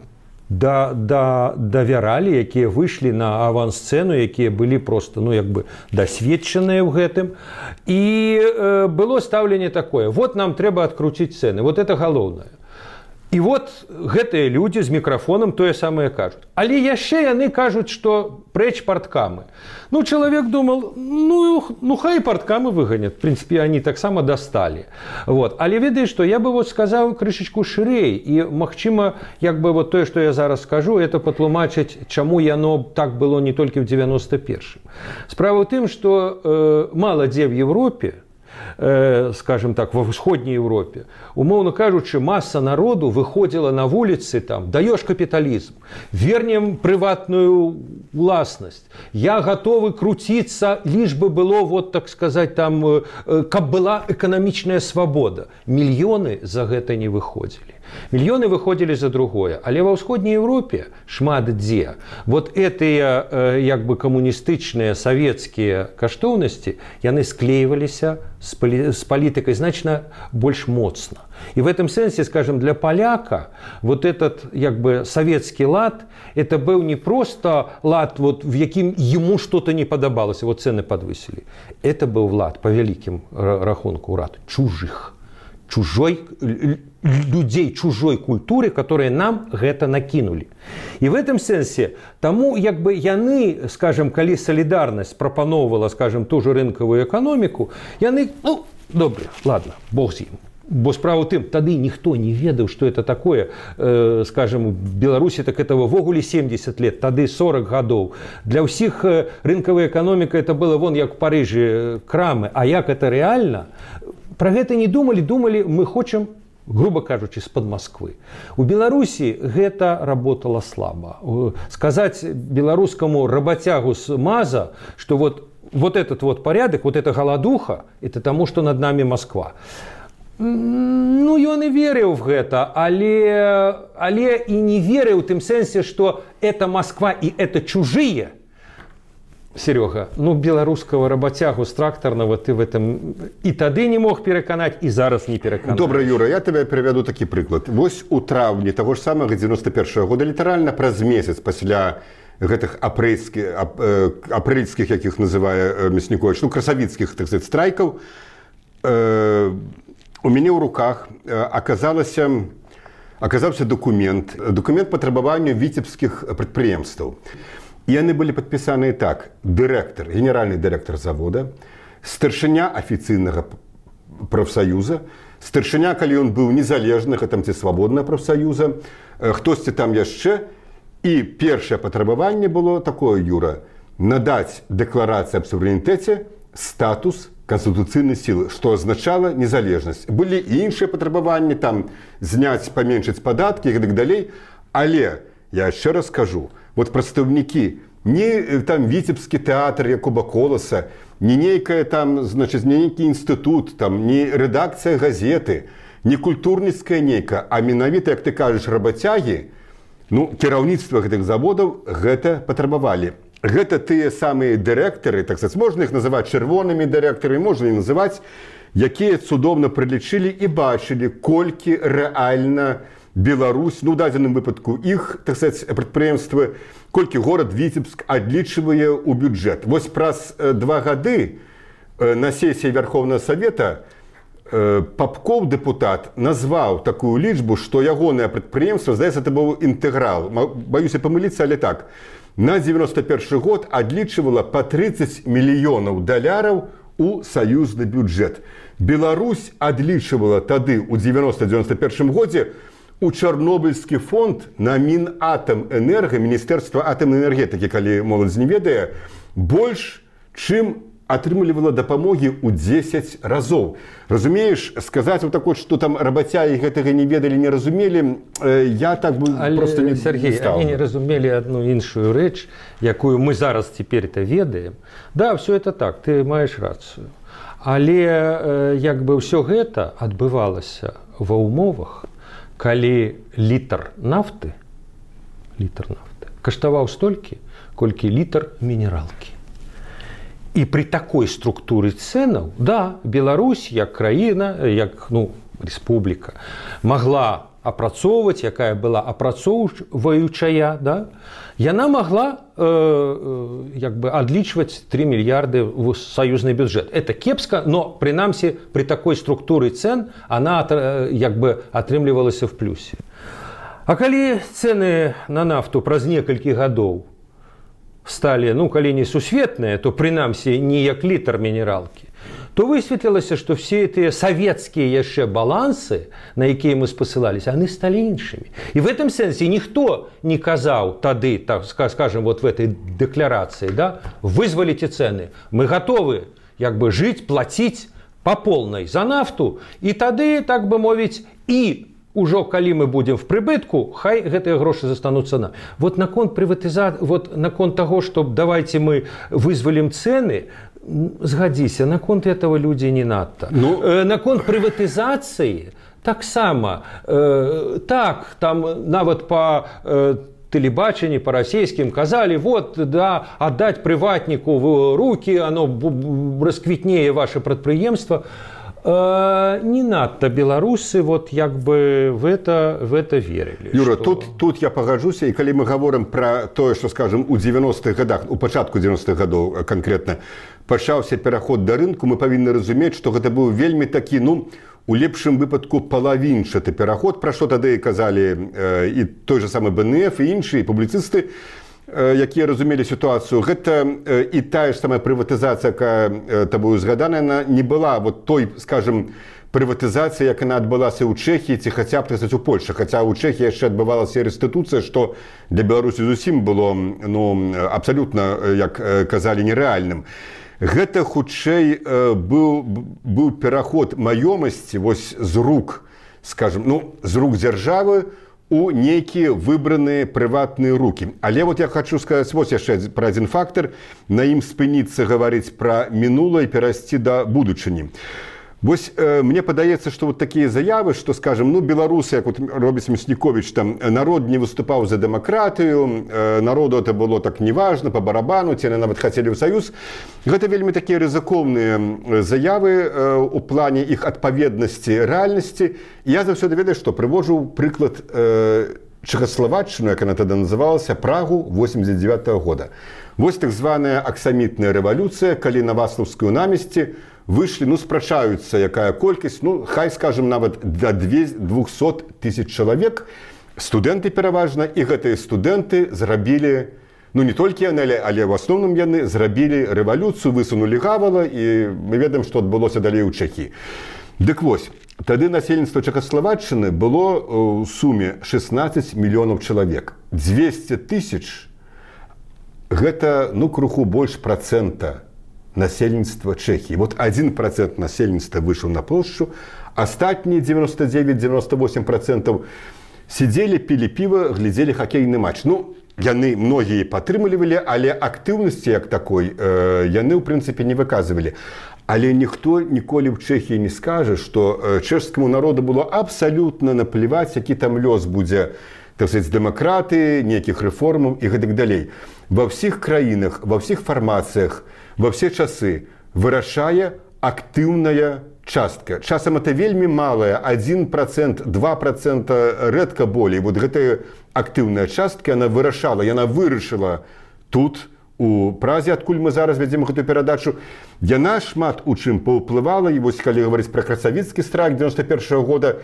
давяралі, якія выйшлі на авансцэну, якія былі просто, ну, як бы дасведчаныя ў гэтым. І было стаўленне такое: вот нам трэба адкруціць цэны, вот это галоўнае. І вот гэтыя людзі з мікрафонам тое самае кажуць. Але яшчэ яны кажуць, што прэч парткамы. Ну, чалавек думал, ну хай парткамы выганят. В прынцыпе, они таксама дасталі. Вот. Але ведаеш што, я бы вот сказаў крышачку шырэй. І, магчыма, як бы вот тое, што я зараз скажу, это патлумачыць, чаму яно так было не толькі ў 91-м. Справа ў тым, што мала дзе в Европе, скажем так, во ўсходняй Европе, умоўно кажучы, масса народу выходзіла на вуліцы, там, даёшь капіталізм, вернем прыватную уласнасць, я готовы круціцца, лишь бы было, вот так сказать, там, каб была эканамічная свабода. Мільёны за гэта не выходзілі. Мільёны выходзілі за другое. Але ва ўсходняй Европе шмат дзе вот гэтыя як бы камуністычныя савецкія каштоўнасці, яны склейваліся з палітыкай значна больш моцна. И в этом сенсе, скажем, для поляка вот этот як бы советский лад, это был не просто лад, вот, в яким ему что-то не подобалось, вот цены подвысили. Это был лад, по великим рахунку рад, чужих. Людей чужой культуры, которые нам гэта накинули. И в этом сенсе тому, як бы яны, скажем, калі солидарность прапановывала, скажем, ту же рынковую экономику, яны, ну, добре, ладно, бог з ім. Бо справа ў тым, тады ніхто не ведаў, што это такое, скажем, у Беларусі так этого ввогуле 70 лет, тады 40 гадоў. Для ўсіх рынкавая эканоміка это было вон як в Парыжы крамы, а як это рэальна? Пра гэта не думалі, мы хочам, грубо кажучы, з-пад Москвы. У Беларусі гэта работала слаба. Сказаць беларускаму работягу з МАЗа, што вот этот вот порядок, вот эта голодуха, это тому, что над нами Москва. Ну, ён і верыў в гэта, але і не верыў у тым сэнсе, што это Москва і это чужие. Серега, ну, беларускага работягу з трактарнага ты в этом і тады не мог пераканаць, і зараз не пераканаць. Добра, Юра, я тебе приведу такі прыклад. Вось у траўні таго ж самага 91-го года, літаральна праз месяц пасля гэтых апрэльскіх, якіх называе Мяснікович, ну, красавіцкіх, так сказать, страйкаў, у мяне ў руках аказаўся документ па требаванню віцебскіх прадпрыемстваў. І яны былі падпісаныя так: дырэктар, генеральны дырэктар завода, старшыня афіцыйнага прафсаюза, старшыня, калі ён быў незалежнага там ці свабоднага прафсаюза, хтосьці там яшчэ. І першае патрабаванне было такое, Юра: надаць дэкларацыі аб суверэнітэце статус конституцыйнай сілы, што азначала незалежнасць. Былі і іншыя патрабаванні, там зняць, паменшыць падаткі і так далей. Але я яшчэ раз кажу, вот прадстаўнікі, не там віцебскі тэатр Якуба Коласа, не нейкая там, значит, не нейкі інстытут, там не рэдакцыя газеты, не культурніцкая нейка, а менавіта, як ты кажаш, работягі, ну, кіраўніцтва гэтых заводаў гэта патрабавалі. Гэта тыя самыя дырэктары, так сказать, можна іх называць чырвонымі дырэктарамі, можна і называць, якія цудоўна прылічылі і бачылі, колькі рэальна Беларусь, ну, у дадзеным выпадку іх, так сказать, прадпрыемствы, колькі горад Віцебск адлічвае ў бюджэт. Вось праз 2 гады на сесіі Верховнага Савета Попков, дэпутат, назваў такую лічбу, што ягонае прадпрыемства, здаецца, это быў інтэграл, баюся памыліцца, але так, на 91 год адлічвала па 30 мільёнаў даляраў у саюзны бюджэт. Беларусь адлічвала тады, у 90-91 годзе, у Чарнобыльскі фонд на Мінатамэнерга, Міністэрства атамнай энергетыкі, калі моладзь не ведае, больш, чым атрымлівала дапамогі ў 10 разоў. Разумееш, сказаць вот такое, што там работягі гэтага не ведалі, не разумелі, я так бы просто не стаў. Сергей, они не разумелі одну іншую рэч, якую мы зараз цяпер-то ведаем. Да, все это так, ты маеш рацыю. Але як бы ўсё гэта адбывалася ва ўмовах, калі літр нафты каштаваў столькі, колькі літр мінералкі. І при такой структуры цэнаў, да, Беларусь як краіна, як рэспубліка, магла апрацоўваць, якая была апрацоўваючая, да, яна могла адлічваць 3 мільярды в саюзны бюджэт. Это кепска, но прынамсі при такой структуры цен она атрымлівалася в плюсе. А калі цены на нафту праз некалькі гадоў сталі, калі не сусветныя, то прынамсі не як літр мінералкі, то высветлілася, што все тыя савецкія яшчэ балансы, на якія мы спасылаліся, яны сталі іншымі. І в этом сэнсе ніхто не казаў тады, так скажем, вот в этой дэкларацыі, да, вызваліце цэны, мы гатовы жыць, плаціць па полнай за нафту, і тады, так бы мовіць, і ужо калі мы будем в прыбытку, хай гэтыя грошы застануцца на. Вот наконт прыватызацыі, вот наконт таго, што давайте мы вызвалім цэны, згадзіся, наконт этого людзі не надта. Наконт прыватызацыі таксама, так, там нават па тэлебачанні, па расійскім казалі, вот, да, аддаць прыватніку в рукі, оно расквітнее ваше прадпрыемства. Не надта беларусы вот в это верылі. Юра, тут я пагаджуся, і калі мы гаворым пра тое, што, скажем, у 90-х гадах, у пачатку 90-х гадоў канкрэтна пачаўся пераход да рынку, мы павінны разумець, што гэта быў вельмі такі, у лепшым выпадку палавінчаты пераход, пра што тады казалі і той же самы БНФ, і іншыя публіцысты, якія разумелі сітуацыю. Гэта і тая ж самая прыватызацыя, якая табою згаданая, не была вот той, скажем, прыватызацыя, як яна адбылася ў Чэхіі ці хаця б у Польшчы. Хаця ў Чэхіі яшчэ адбывалася рэстытуцыя, што для Беларусі зусім было абсалютна, як казалі, нерэальным. Гэта хутчэй быў пераход маёмасці вось з рук, скажем, з рук дзяржавы у нейкія выбраныя прыватныя рукі. Але вот я хочу сказаць вось яшчэ пра адзін фактар, на ім спыніцца гаварыць пра мінулае і перайсці да будучыні. Вось мне падаецца, што вот такія заявы, што, скажем, беларусы, як вот робіць Мясніковіч, там, народ не выступаў за дэмакратыю, народу это было так неважна, па барабану, ці нават хацелі ў саюз. Гэта вельмі такія рызыкоўныя заявы у плане іх адпаведнасці рэальнасці. Я заўсёды ведаю, што прывожу прыклад Чэхаславаччыну, як яна тады называлася, Прагу 89-го года. Вось так званая аксамітная рэвалюцыя, калі на Васлаўскую намесці выйшлі, спрачаюцца, якая колькасць, хай, скажем, нават да 200 тысяч чалавек, студэнты пераважна, і гэтыя студэнты зрабілі, не толькі яны, але ў асноўным яны зрабілі рэвалюцыю, высунулі гавала, і мы ведаем, што адбылося далей у Чэхіі. Дык вось, тады насельніцтва Чэхаславаччыны было ў суме 16 мільёнаў чалавек. 200 тысяч гэта, крыху больш працэнта насельніцтва Чэхіі. Вот 1% насельніцтва выйшаў на плошчу, астатнія 99-98% сидзелі, пілі піва, глядзелі хакейны матч. Яны многія падтрымлівалі, але актыўнасці як такой яны, ў прынцыпе, не выказвалі. Але ніхто ніколі ў Чэхіі не скажа, што чэшскаму народу было абсалютна напліваць, які там лёс будзе, так сказаць, дэмакратыі, нейкіх рэформаў і гэтак далей. Ва ўсіх краінах, ва ўсіх фармацыях, во все часы вырашае актыўная частка. Часам это вельмі малая, 1%, 2%, рэдка болей. Вот гэтая актыўная частка, яна вырашала, яна вырашыла тут, у Празе, адкуль мы зараз вядзем гэтую перадачу. Яна шмат у чым паўплывала, і вось калі гаварыць пра красавіцкі страйк 91-го года,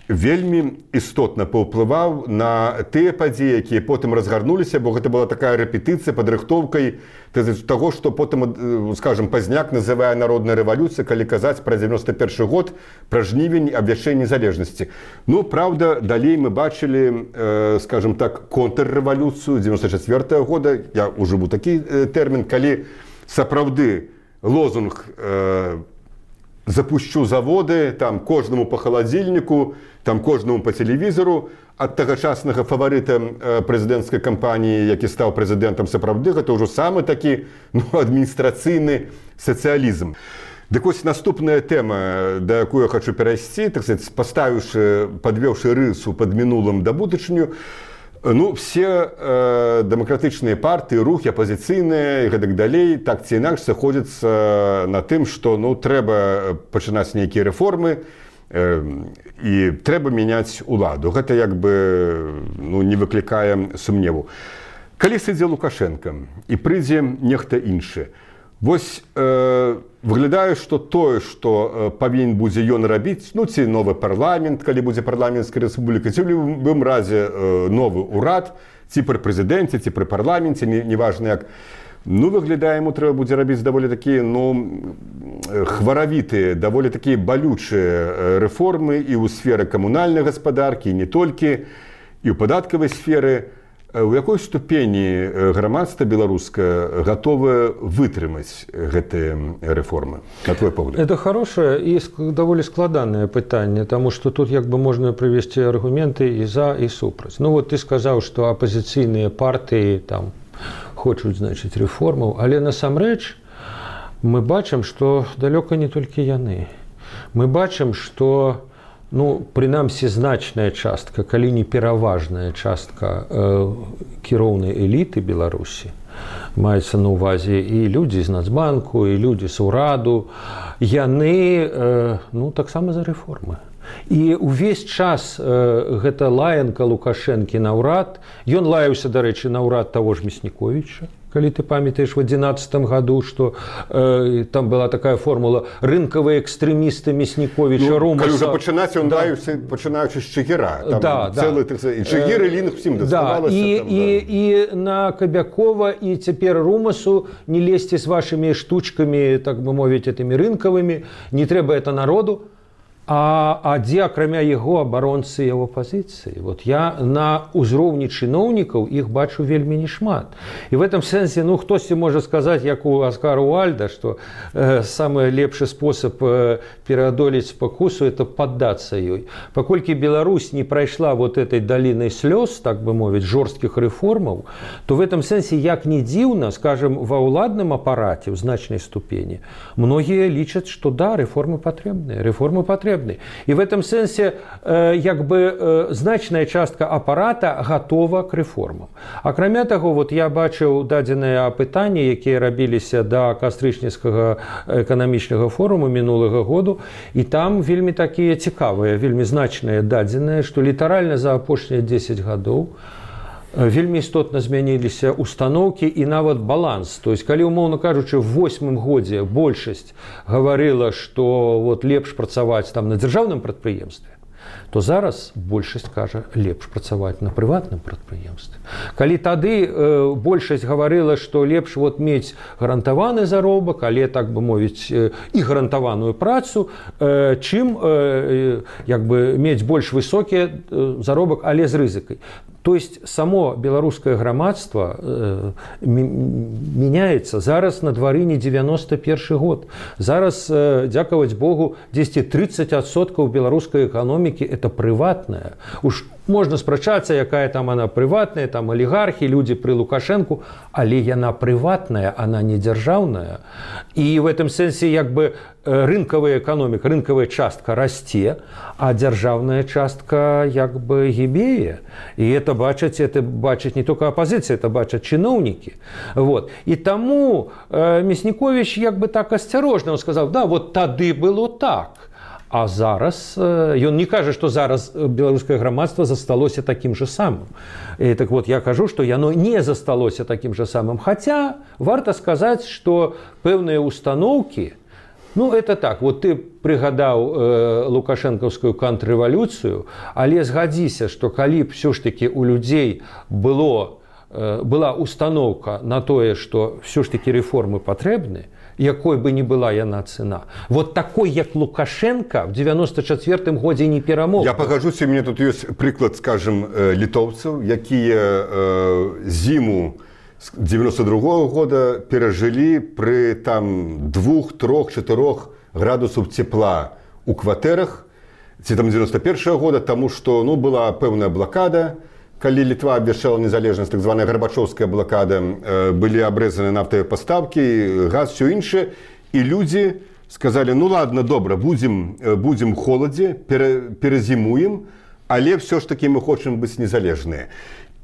вельмі істотна паўплываў на тыя падзеі, якія потым разгарнуліся, бо гэта была такая рэпетыцыя, падрыхтоўкай таго, што потым, скажем, Пазняк называе народная рэвалюцыя, калі казаць пра 91 год, пра жнівень, абвяшчэнне незалежнасці. Праўда, далей мы бачылі, скажем так, контррэвалюцыю 94 года, я ужыву такі тэрмін, калі сапраўды лозунг «запущу заводы», там, кожнаму по халадзільніку, там, кожнаму по тэлевізору, ад тагачаснага фаварыта прэзідэнцкай кампаніі, які стаў прэзідэнтам сапраўды, гэта ўжо самы такі адміністрацыйны сацыялізм. Дык вось наступная тэма, да якую я хочу перайсці, так сказать, падвёўшы рысу пад мінулым да будучыню, ну, все дэмакратычныя партыі, рухі, апазіцыйныя і гэтак далей, так ці інакш сыходзяцца на тым, што ну, трэба пачынаць нейкія рэформы і трэба мяняць уладу. Гэта як бы ну, не выклікае сумневу. Калі сыдзе Лукашенко і прыйдзе нехта іншы, вось выглядае, што тое, што павінен будзе ён рабіць, ну ці новы парламент, калі будзе парламенцкая рэспубліка, ці ў любым разе новы ўрад, ці пры прэзідэнце, ці пры парламенце, неважна як, ну выглядае, яму трэба будзе рабіць даволі такія, ну, хваравітыя, даволі такія балючыя рэформы і ў сферы камунальнай гаспадаркі, і не толькі, і ў падаткавай сферы. У якой ступені грамадства беларускае гатовае вытрымаць гэтыя рэформы, на твой погляд? Это хорошее и довольно складанное пытанне, потому что тут як бы можно привести аргументы и за, и супраць. Ну вот ты сказал, что оппозиционные партии там хочуць, значит, рэформаў, але насамрэч мы бачым, что далёка не толькі яны. Мы бачым, что ну, прынамсі, значная частка, калі не пераважная частка кіроўнай эліты Беларусі, маецца на ўвазе і людзі з Нацбанку, і людзі з ураду, яны ну, таксама за рэформы. І ўвесь час гэта лаянка Лукашэнкі на ўрад, ён лаяўся, дарэчы, на ўрад таго ж Мясніковіча, калі ты памятаеш в 2011 году, что там была такая формула рынковые экстремисты Мясніковіча, ну, Румаса. Калі ўжо пачынаць, ён лаяўся, пачынаючы з Чыгіра. Там цэлы, і Чыгір, і Лінг всім даставалася. І на Кабякова, і цяпер Румасу не лезьце з вашими штучками, так бы мовіць, этими рынковыми, не трэба это народу. А дзе, акрамя яго, абаронцы яго пазіцыі? Вот я на ўзроўні чыноўнікаў іх бачу вельмі нешмат. І в этом сэнсе, ну, хтосьці можа сказаць, як у Аскара Уальда, што самы лепшы спосаб пераадолець спакусу – это паддацца ёй. Паколькі Беларусь не прайшла вот этой далінай слёз, так бы мовіць, жорсткіх рэформаў, то в этом сэнсе, як не дзіўна, скажем, ва ўладным апараце ў значнай ступені, многія лічаць, што да, рэформы патрэбныя, И в этом сенсе як бы значная частка апарата готова к рэформам. Акрамя таго, вот я бачыў дадзеныя апытанні, якія рабіліся да кастрычніцкага эканамічнага форуму мінулага году, і там вельмі такія цікавыя, вельмі значныя дадзеныя, што літаральна за апошнія 10 гадоў вельмі істотна змяніліся установкі і нават баланс. То есть, калі, умоўна кажучы, в 8-м годзе большасць гаварыла, што вот лепш працаваць там на дзяржаўным прадпрыемстве, то зараз большасць кажа, лепш працаваць на прыватным прадпрыемстве. Калі тады большасць гаварыла, што лепш вот мець гарантаваны заробак, але, так бы мовіць, і гарантаваную працу, чым як бы мець больш высокі заробак, але з рызыкай. То есть само беларускае грамадства меняется. Зараз на двары не 91 год. Зараз, дзякаваць Богу, 10-30% беларускай эканомікі это прыватная. Уж можна спрачацца, якая там она прыватная, там алігархі, людзі пры Лукашэнку, але яна прыватная, она не дзяржаўная. І в этом сэнсе як бы рынкавая эканоміка, рынкавая частка расце, а дзяржаўная частка як бы гібее. І это бачаць не только апозіцыя, это бачаць чыноўнікі. Вот. І таму Мясніковіч як бы так асцярожна, он сказаў, да, вот тады было так. А зараз, ён не кажа, што зараз беларускае грамадства засталося такім же самым. І так вот, я кажу, што яно не засталося такім же самым. Хаця, варта сказаць, што пэўныя установкі, ну, это так, вот ты прыгадаў лукашэнкаўскую контррэвалюцыю, але згадзіся, што калі б ўсё ж такі у людзей была установка на тое, што ўсё ж такі рэформы патрэбны, якой бы ни была яна цена. Вот такой, як Лукашенко, в 94-м годзе не перамог. Я пагажуся, у меня тут ёсць прыклад, скажем, літоўцаў, якія зіму 92-го года перажылі пры там 2, 3, 4 градусаў цепла у кватэрах, ці там 91-го года, таму што ну, была пэўная блакада, калі Літва абвяшчала незалежнасць, так званая Гарбачоўская блакада, былі абрэзаны нафтавыя пастаўкі, газ, усё іншае, і людзі сказалі, ну ладно, добра, будзем холадзе, перазімуем, але ўсё ж такі мы хочам быць незалежныя.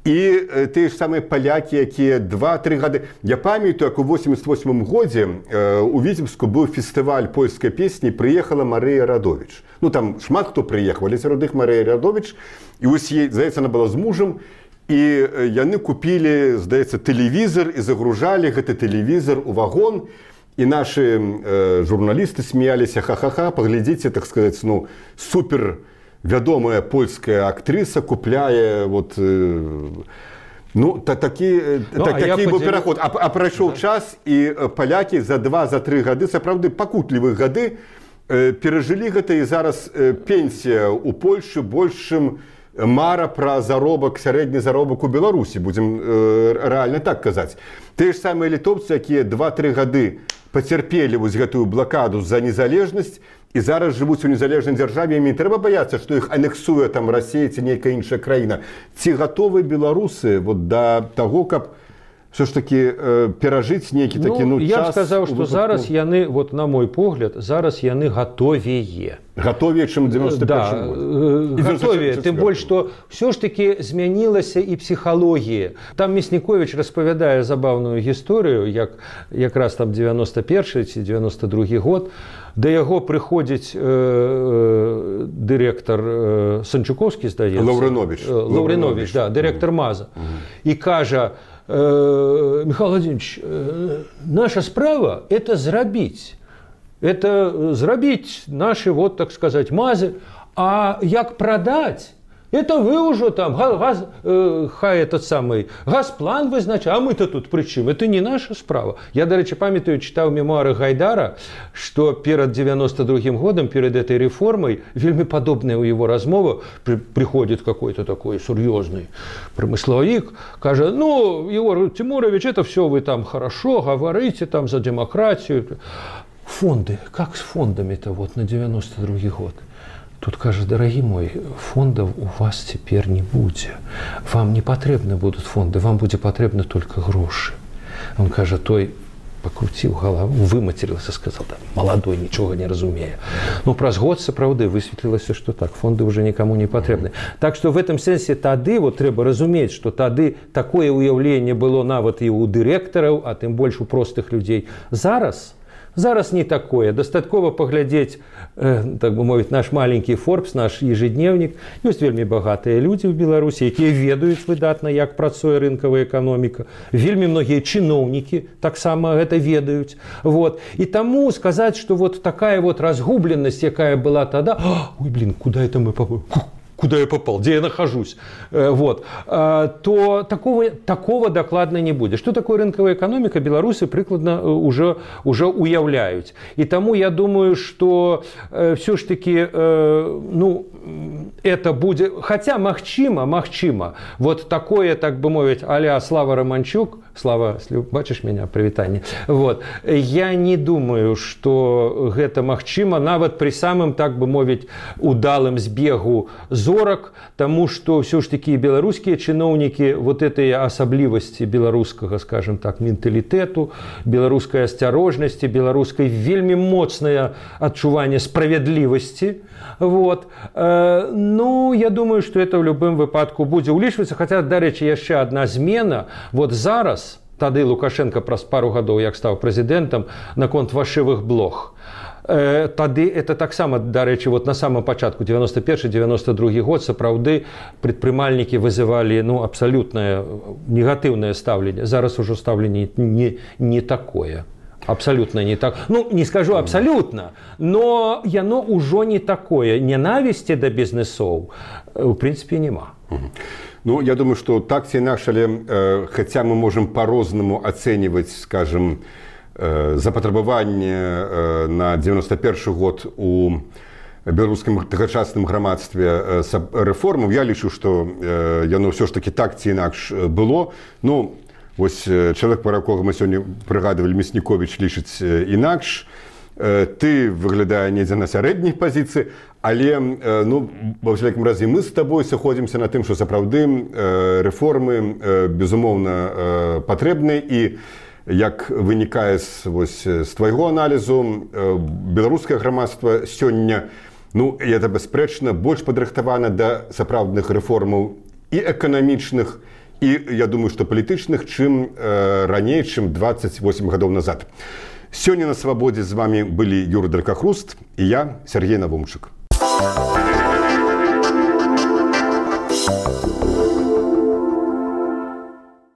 І тыя ж самыя палякі, якія 2-3 гады. Я памятаю, як у 88 годзе у Віцебску быў фестываль польскай песні, прыехала Марыя Радовіч. Ну там шмат хто прыехаў, але сярод іх Марыя Радовіч. І вось ей, здаецца, она была з мужам, і яны купілі, здаецца, тэлевізор і загружалі гэты тэлевізор у вагон. І нашы журналісты смяяліся, ха-ха-ха, паглядзіце, так сказаць, ну, супер вядомая польская актрыса купляе вот, ну, такі быў пераход. А прайшоў час, і палякі за 2-3 гады, сапраўды пакутлівых гады, перажылі гэта, і зараз пенсія ў Польшы больш, чым мара пра заробак, сярэдні заробак у Беларусі, будзем рэальна так казаць. Тыя ж самыя літоўцы, якія 2-3 гады пацярпелі вось гэтую блакаду за незалежнасць, і зараз жывуць у незалежнай дзяржаве, ім не трэба баяцца, што іх анексуе там Расія ці нейкая іншая краіна. Ці гатовы беларусы вот да таго, каб все ж таки перажыць нейкі такі, ну, час? Я б сказаў, што зараз яны, вот на мой погляд, зараз яны гатовее. Гатовее, чым 91 год. Гатовее, тым больш, што все ж таки змянілася і псіхалогія. Там Мясніковіч распавядае забаўную гісторыю, як якраз там 91 ці 92 год, да яго прыходзіць дырэктар Санчукоўскі, здаецца. Лаўрыновіч, да, дырэктар МАЗа. І кажа: Михаил Владимирович, наша справа – это зрабіць. Это зрабіць наши, вот так сказать, МАЗы. А як продать, это вы уже там, хай этот самый Газплан вызначае, а мы-то тут при чым? Это не наша справа. Я, до речі, памятаю, читал мемуары Гайдара, что перед 92-м годом, перед этой реформой, вельми подобная у его размова, приходит какой-то такой серьезный промысловик, каже: ну, Егор Тимурович, это все вы там хорошо говорите там за демократию. Фонды, как с фондами-то вот на 92-й год? Тут кажа: дорогие мой, фондов у вас теперь не будет. Вам не потребны будут фонды, вам будет потребны только гроши. Он кажа, той покрутил голову, выматерился, сказал: да, молодой, ничего не разумея. Но праз год сапраўды высветлілася, что так, фонды уже никому не потребны. Так что в этом сенсе тады, вот трэба разумець, что тады такое уяўленне было нават і у дырэктараў, а тым больш у простых людей. Зараз не такое. Дастаткова паглядзець, так бы мовіць, наш маленькі Forbes, наш ежедневник. Ёсць вельмі багатыя людзі ў Беларусі, якія ведаюць выдатна, як працуе рынкавая эканоміка. Вельмі многія чыноўнікі таксама гэта ведаюць. Вот. І таму сказаць, што вот такая вот разгубленасць, якая была тада, ой, блин, куда это мы попали? Куда я попал, где я нахожусь, вот, то такого докладно не будет. Что такое рынковая экономика, белорусы прикладно уже уяўляюць. И тому я думаю, что все ж таки, ну, это будет, хотя магчыма, вот такое, так бы мовить, а-ля Слава Романчук, Слава, бачишь меня, привитание, вот, я не думаю, что гэта магчыма, нават при самым, так бы мовить, удалым збегу зорак, тому что все ж таки беларускія чыноўнікі вот этой асаблівасці беларускага, скажем так, менталітэту, беларускай асцярожнасці, беларускай вельмі моцнае адчуванне справядлівасці. Вот. Ну, я думаю, что это в любым выпадку будзе ўлічвацца. Хаця, дарэчы, яшчэ одна змена. Вот зараз, тады Лукашенко праз пару гадоў, як стаў прэзідэнтам, наконт фальшывых блог. Тады это таксама, дарэчы, вот на самом пачатку 91-92 год сапраўды прадпрымальнікі вызывалі, ну, абсалютнае негатыўнае стаўленне. Зараз ужо стаўленне не такое. Абсолютно не так. Ну, не скажу абсолютно, но яно ўжо не такое. Ненависти до бизнесов, в принципе, нема. Ну, я думаю, что так ці інакш, але хотя мы можем по-рознаму оценивать, скажем, запатрабаванне на 91 год у беларускім тагачасным грамадстве рэформаў, я лічу, што яно ўсё ж таки так ці інакш было. Ну, вось чалавек, пра якога мы сёння прыгадывалі, Мясніковіч, лічыць інакш. Ты выглядае недзе на сярэдняй пазіцыі, але, ну, ва ўсякім разе мы з табой сыходзімся на тым, што сапраўды рэформы, безумоўна, патрэбныя, і як вынікае з твайго аналізу, беларускае грамадства сёння, ну, это бясспрэчна, больш падрыхтавана да сапраўдных рэформаў і эканамічных, і, я думаю, што палітычных, чым раней, чым 28 гадоў назад. Сёння на Свабодзе з вами былі Юра Дракахруст і я, Сергей Навумчык.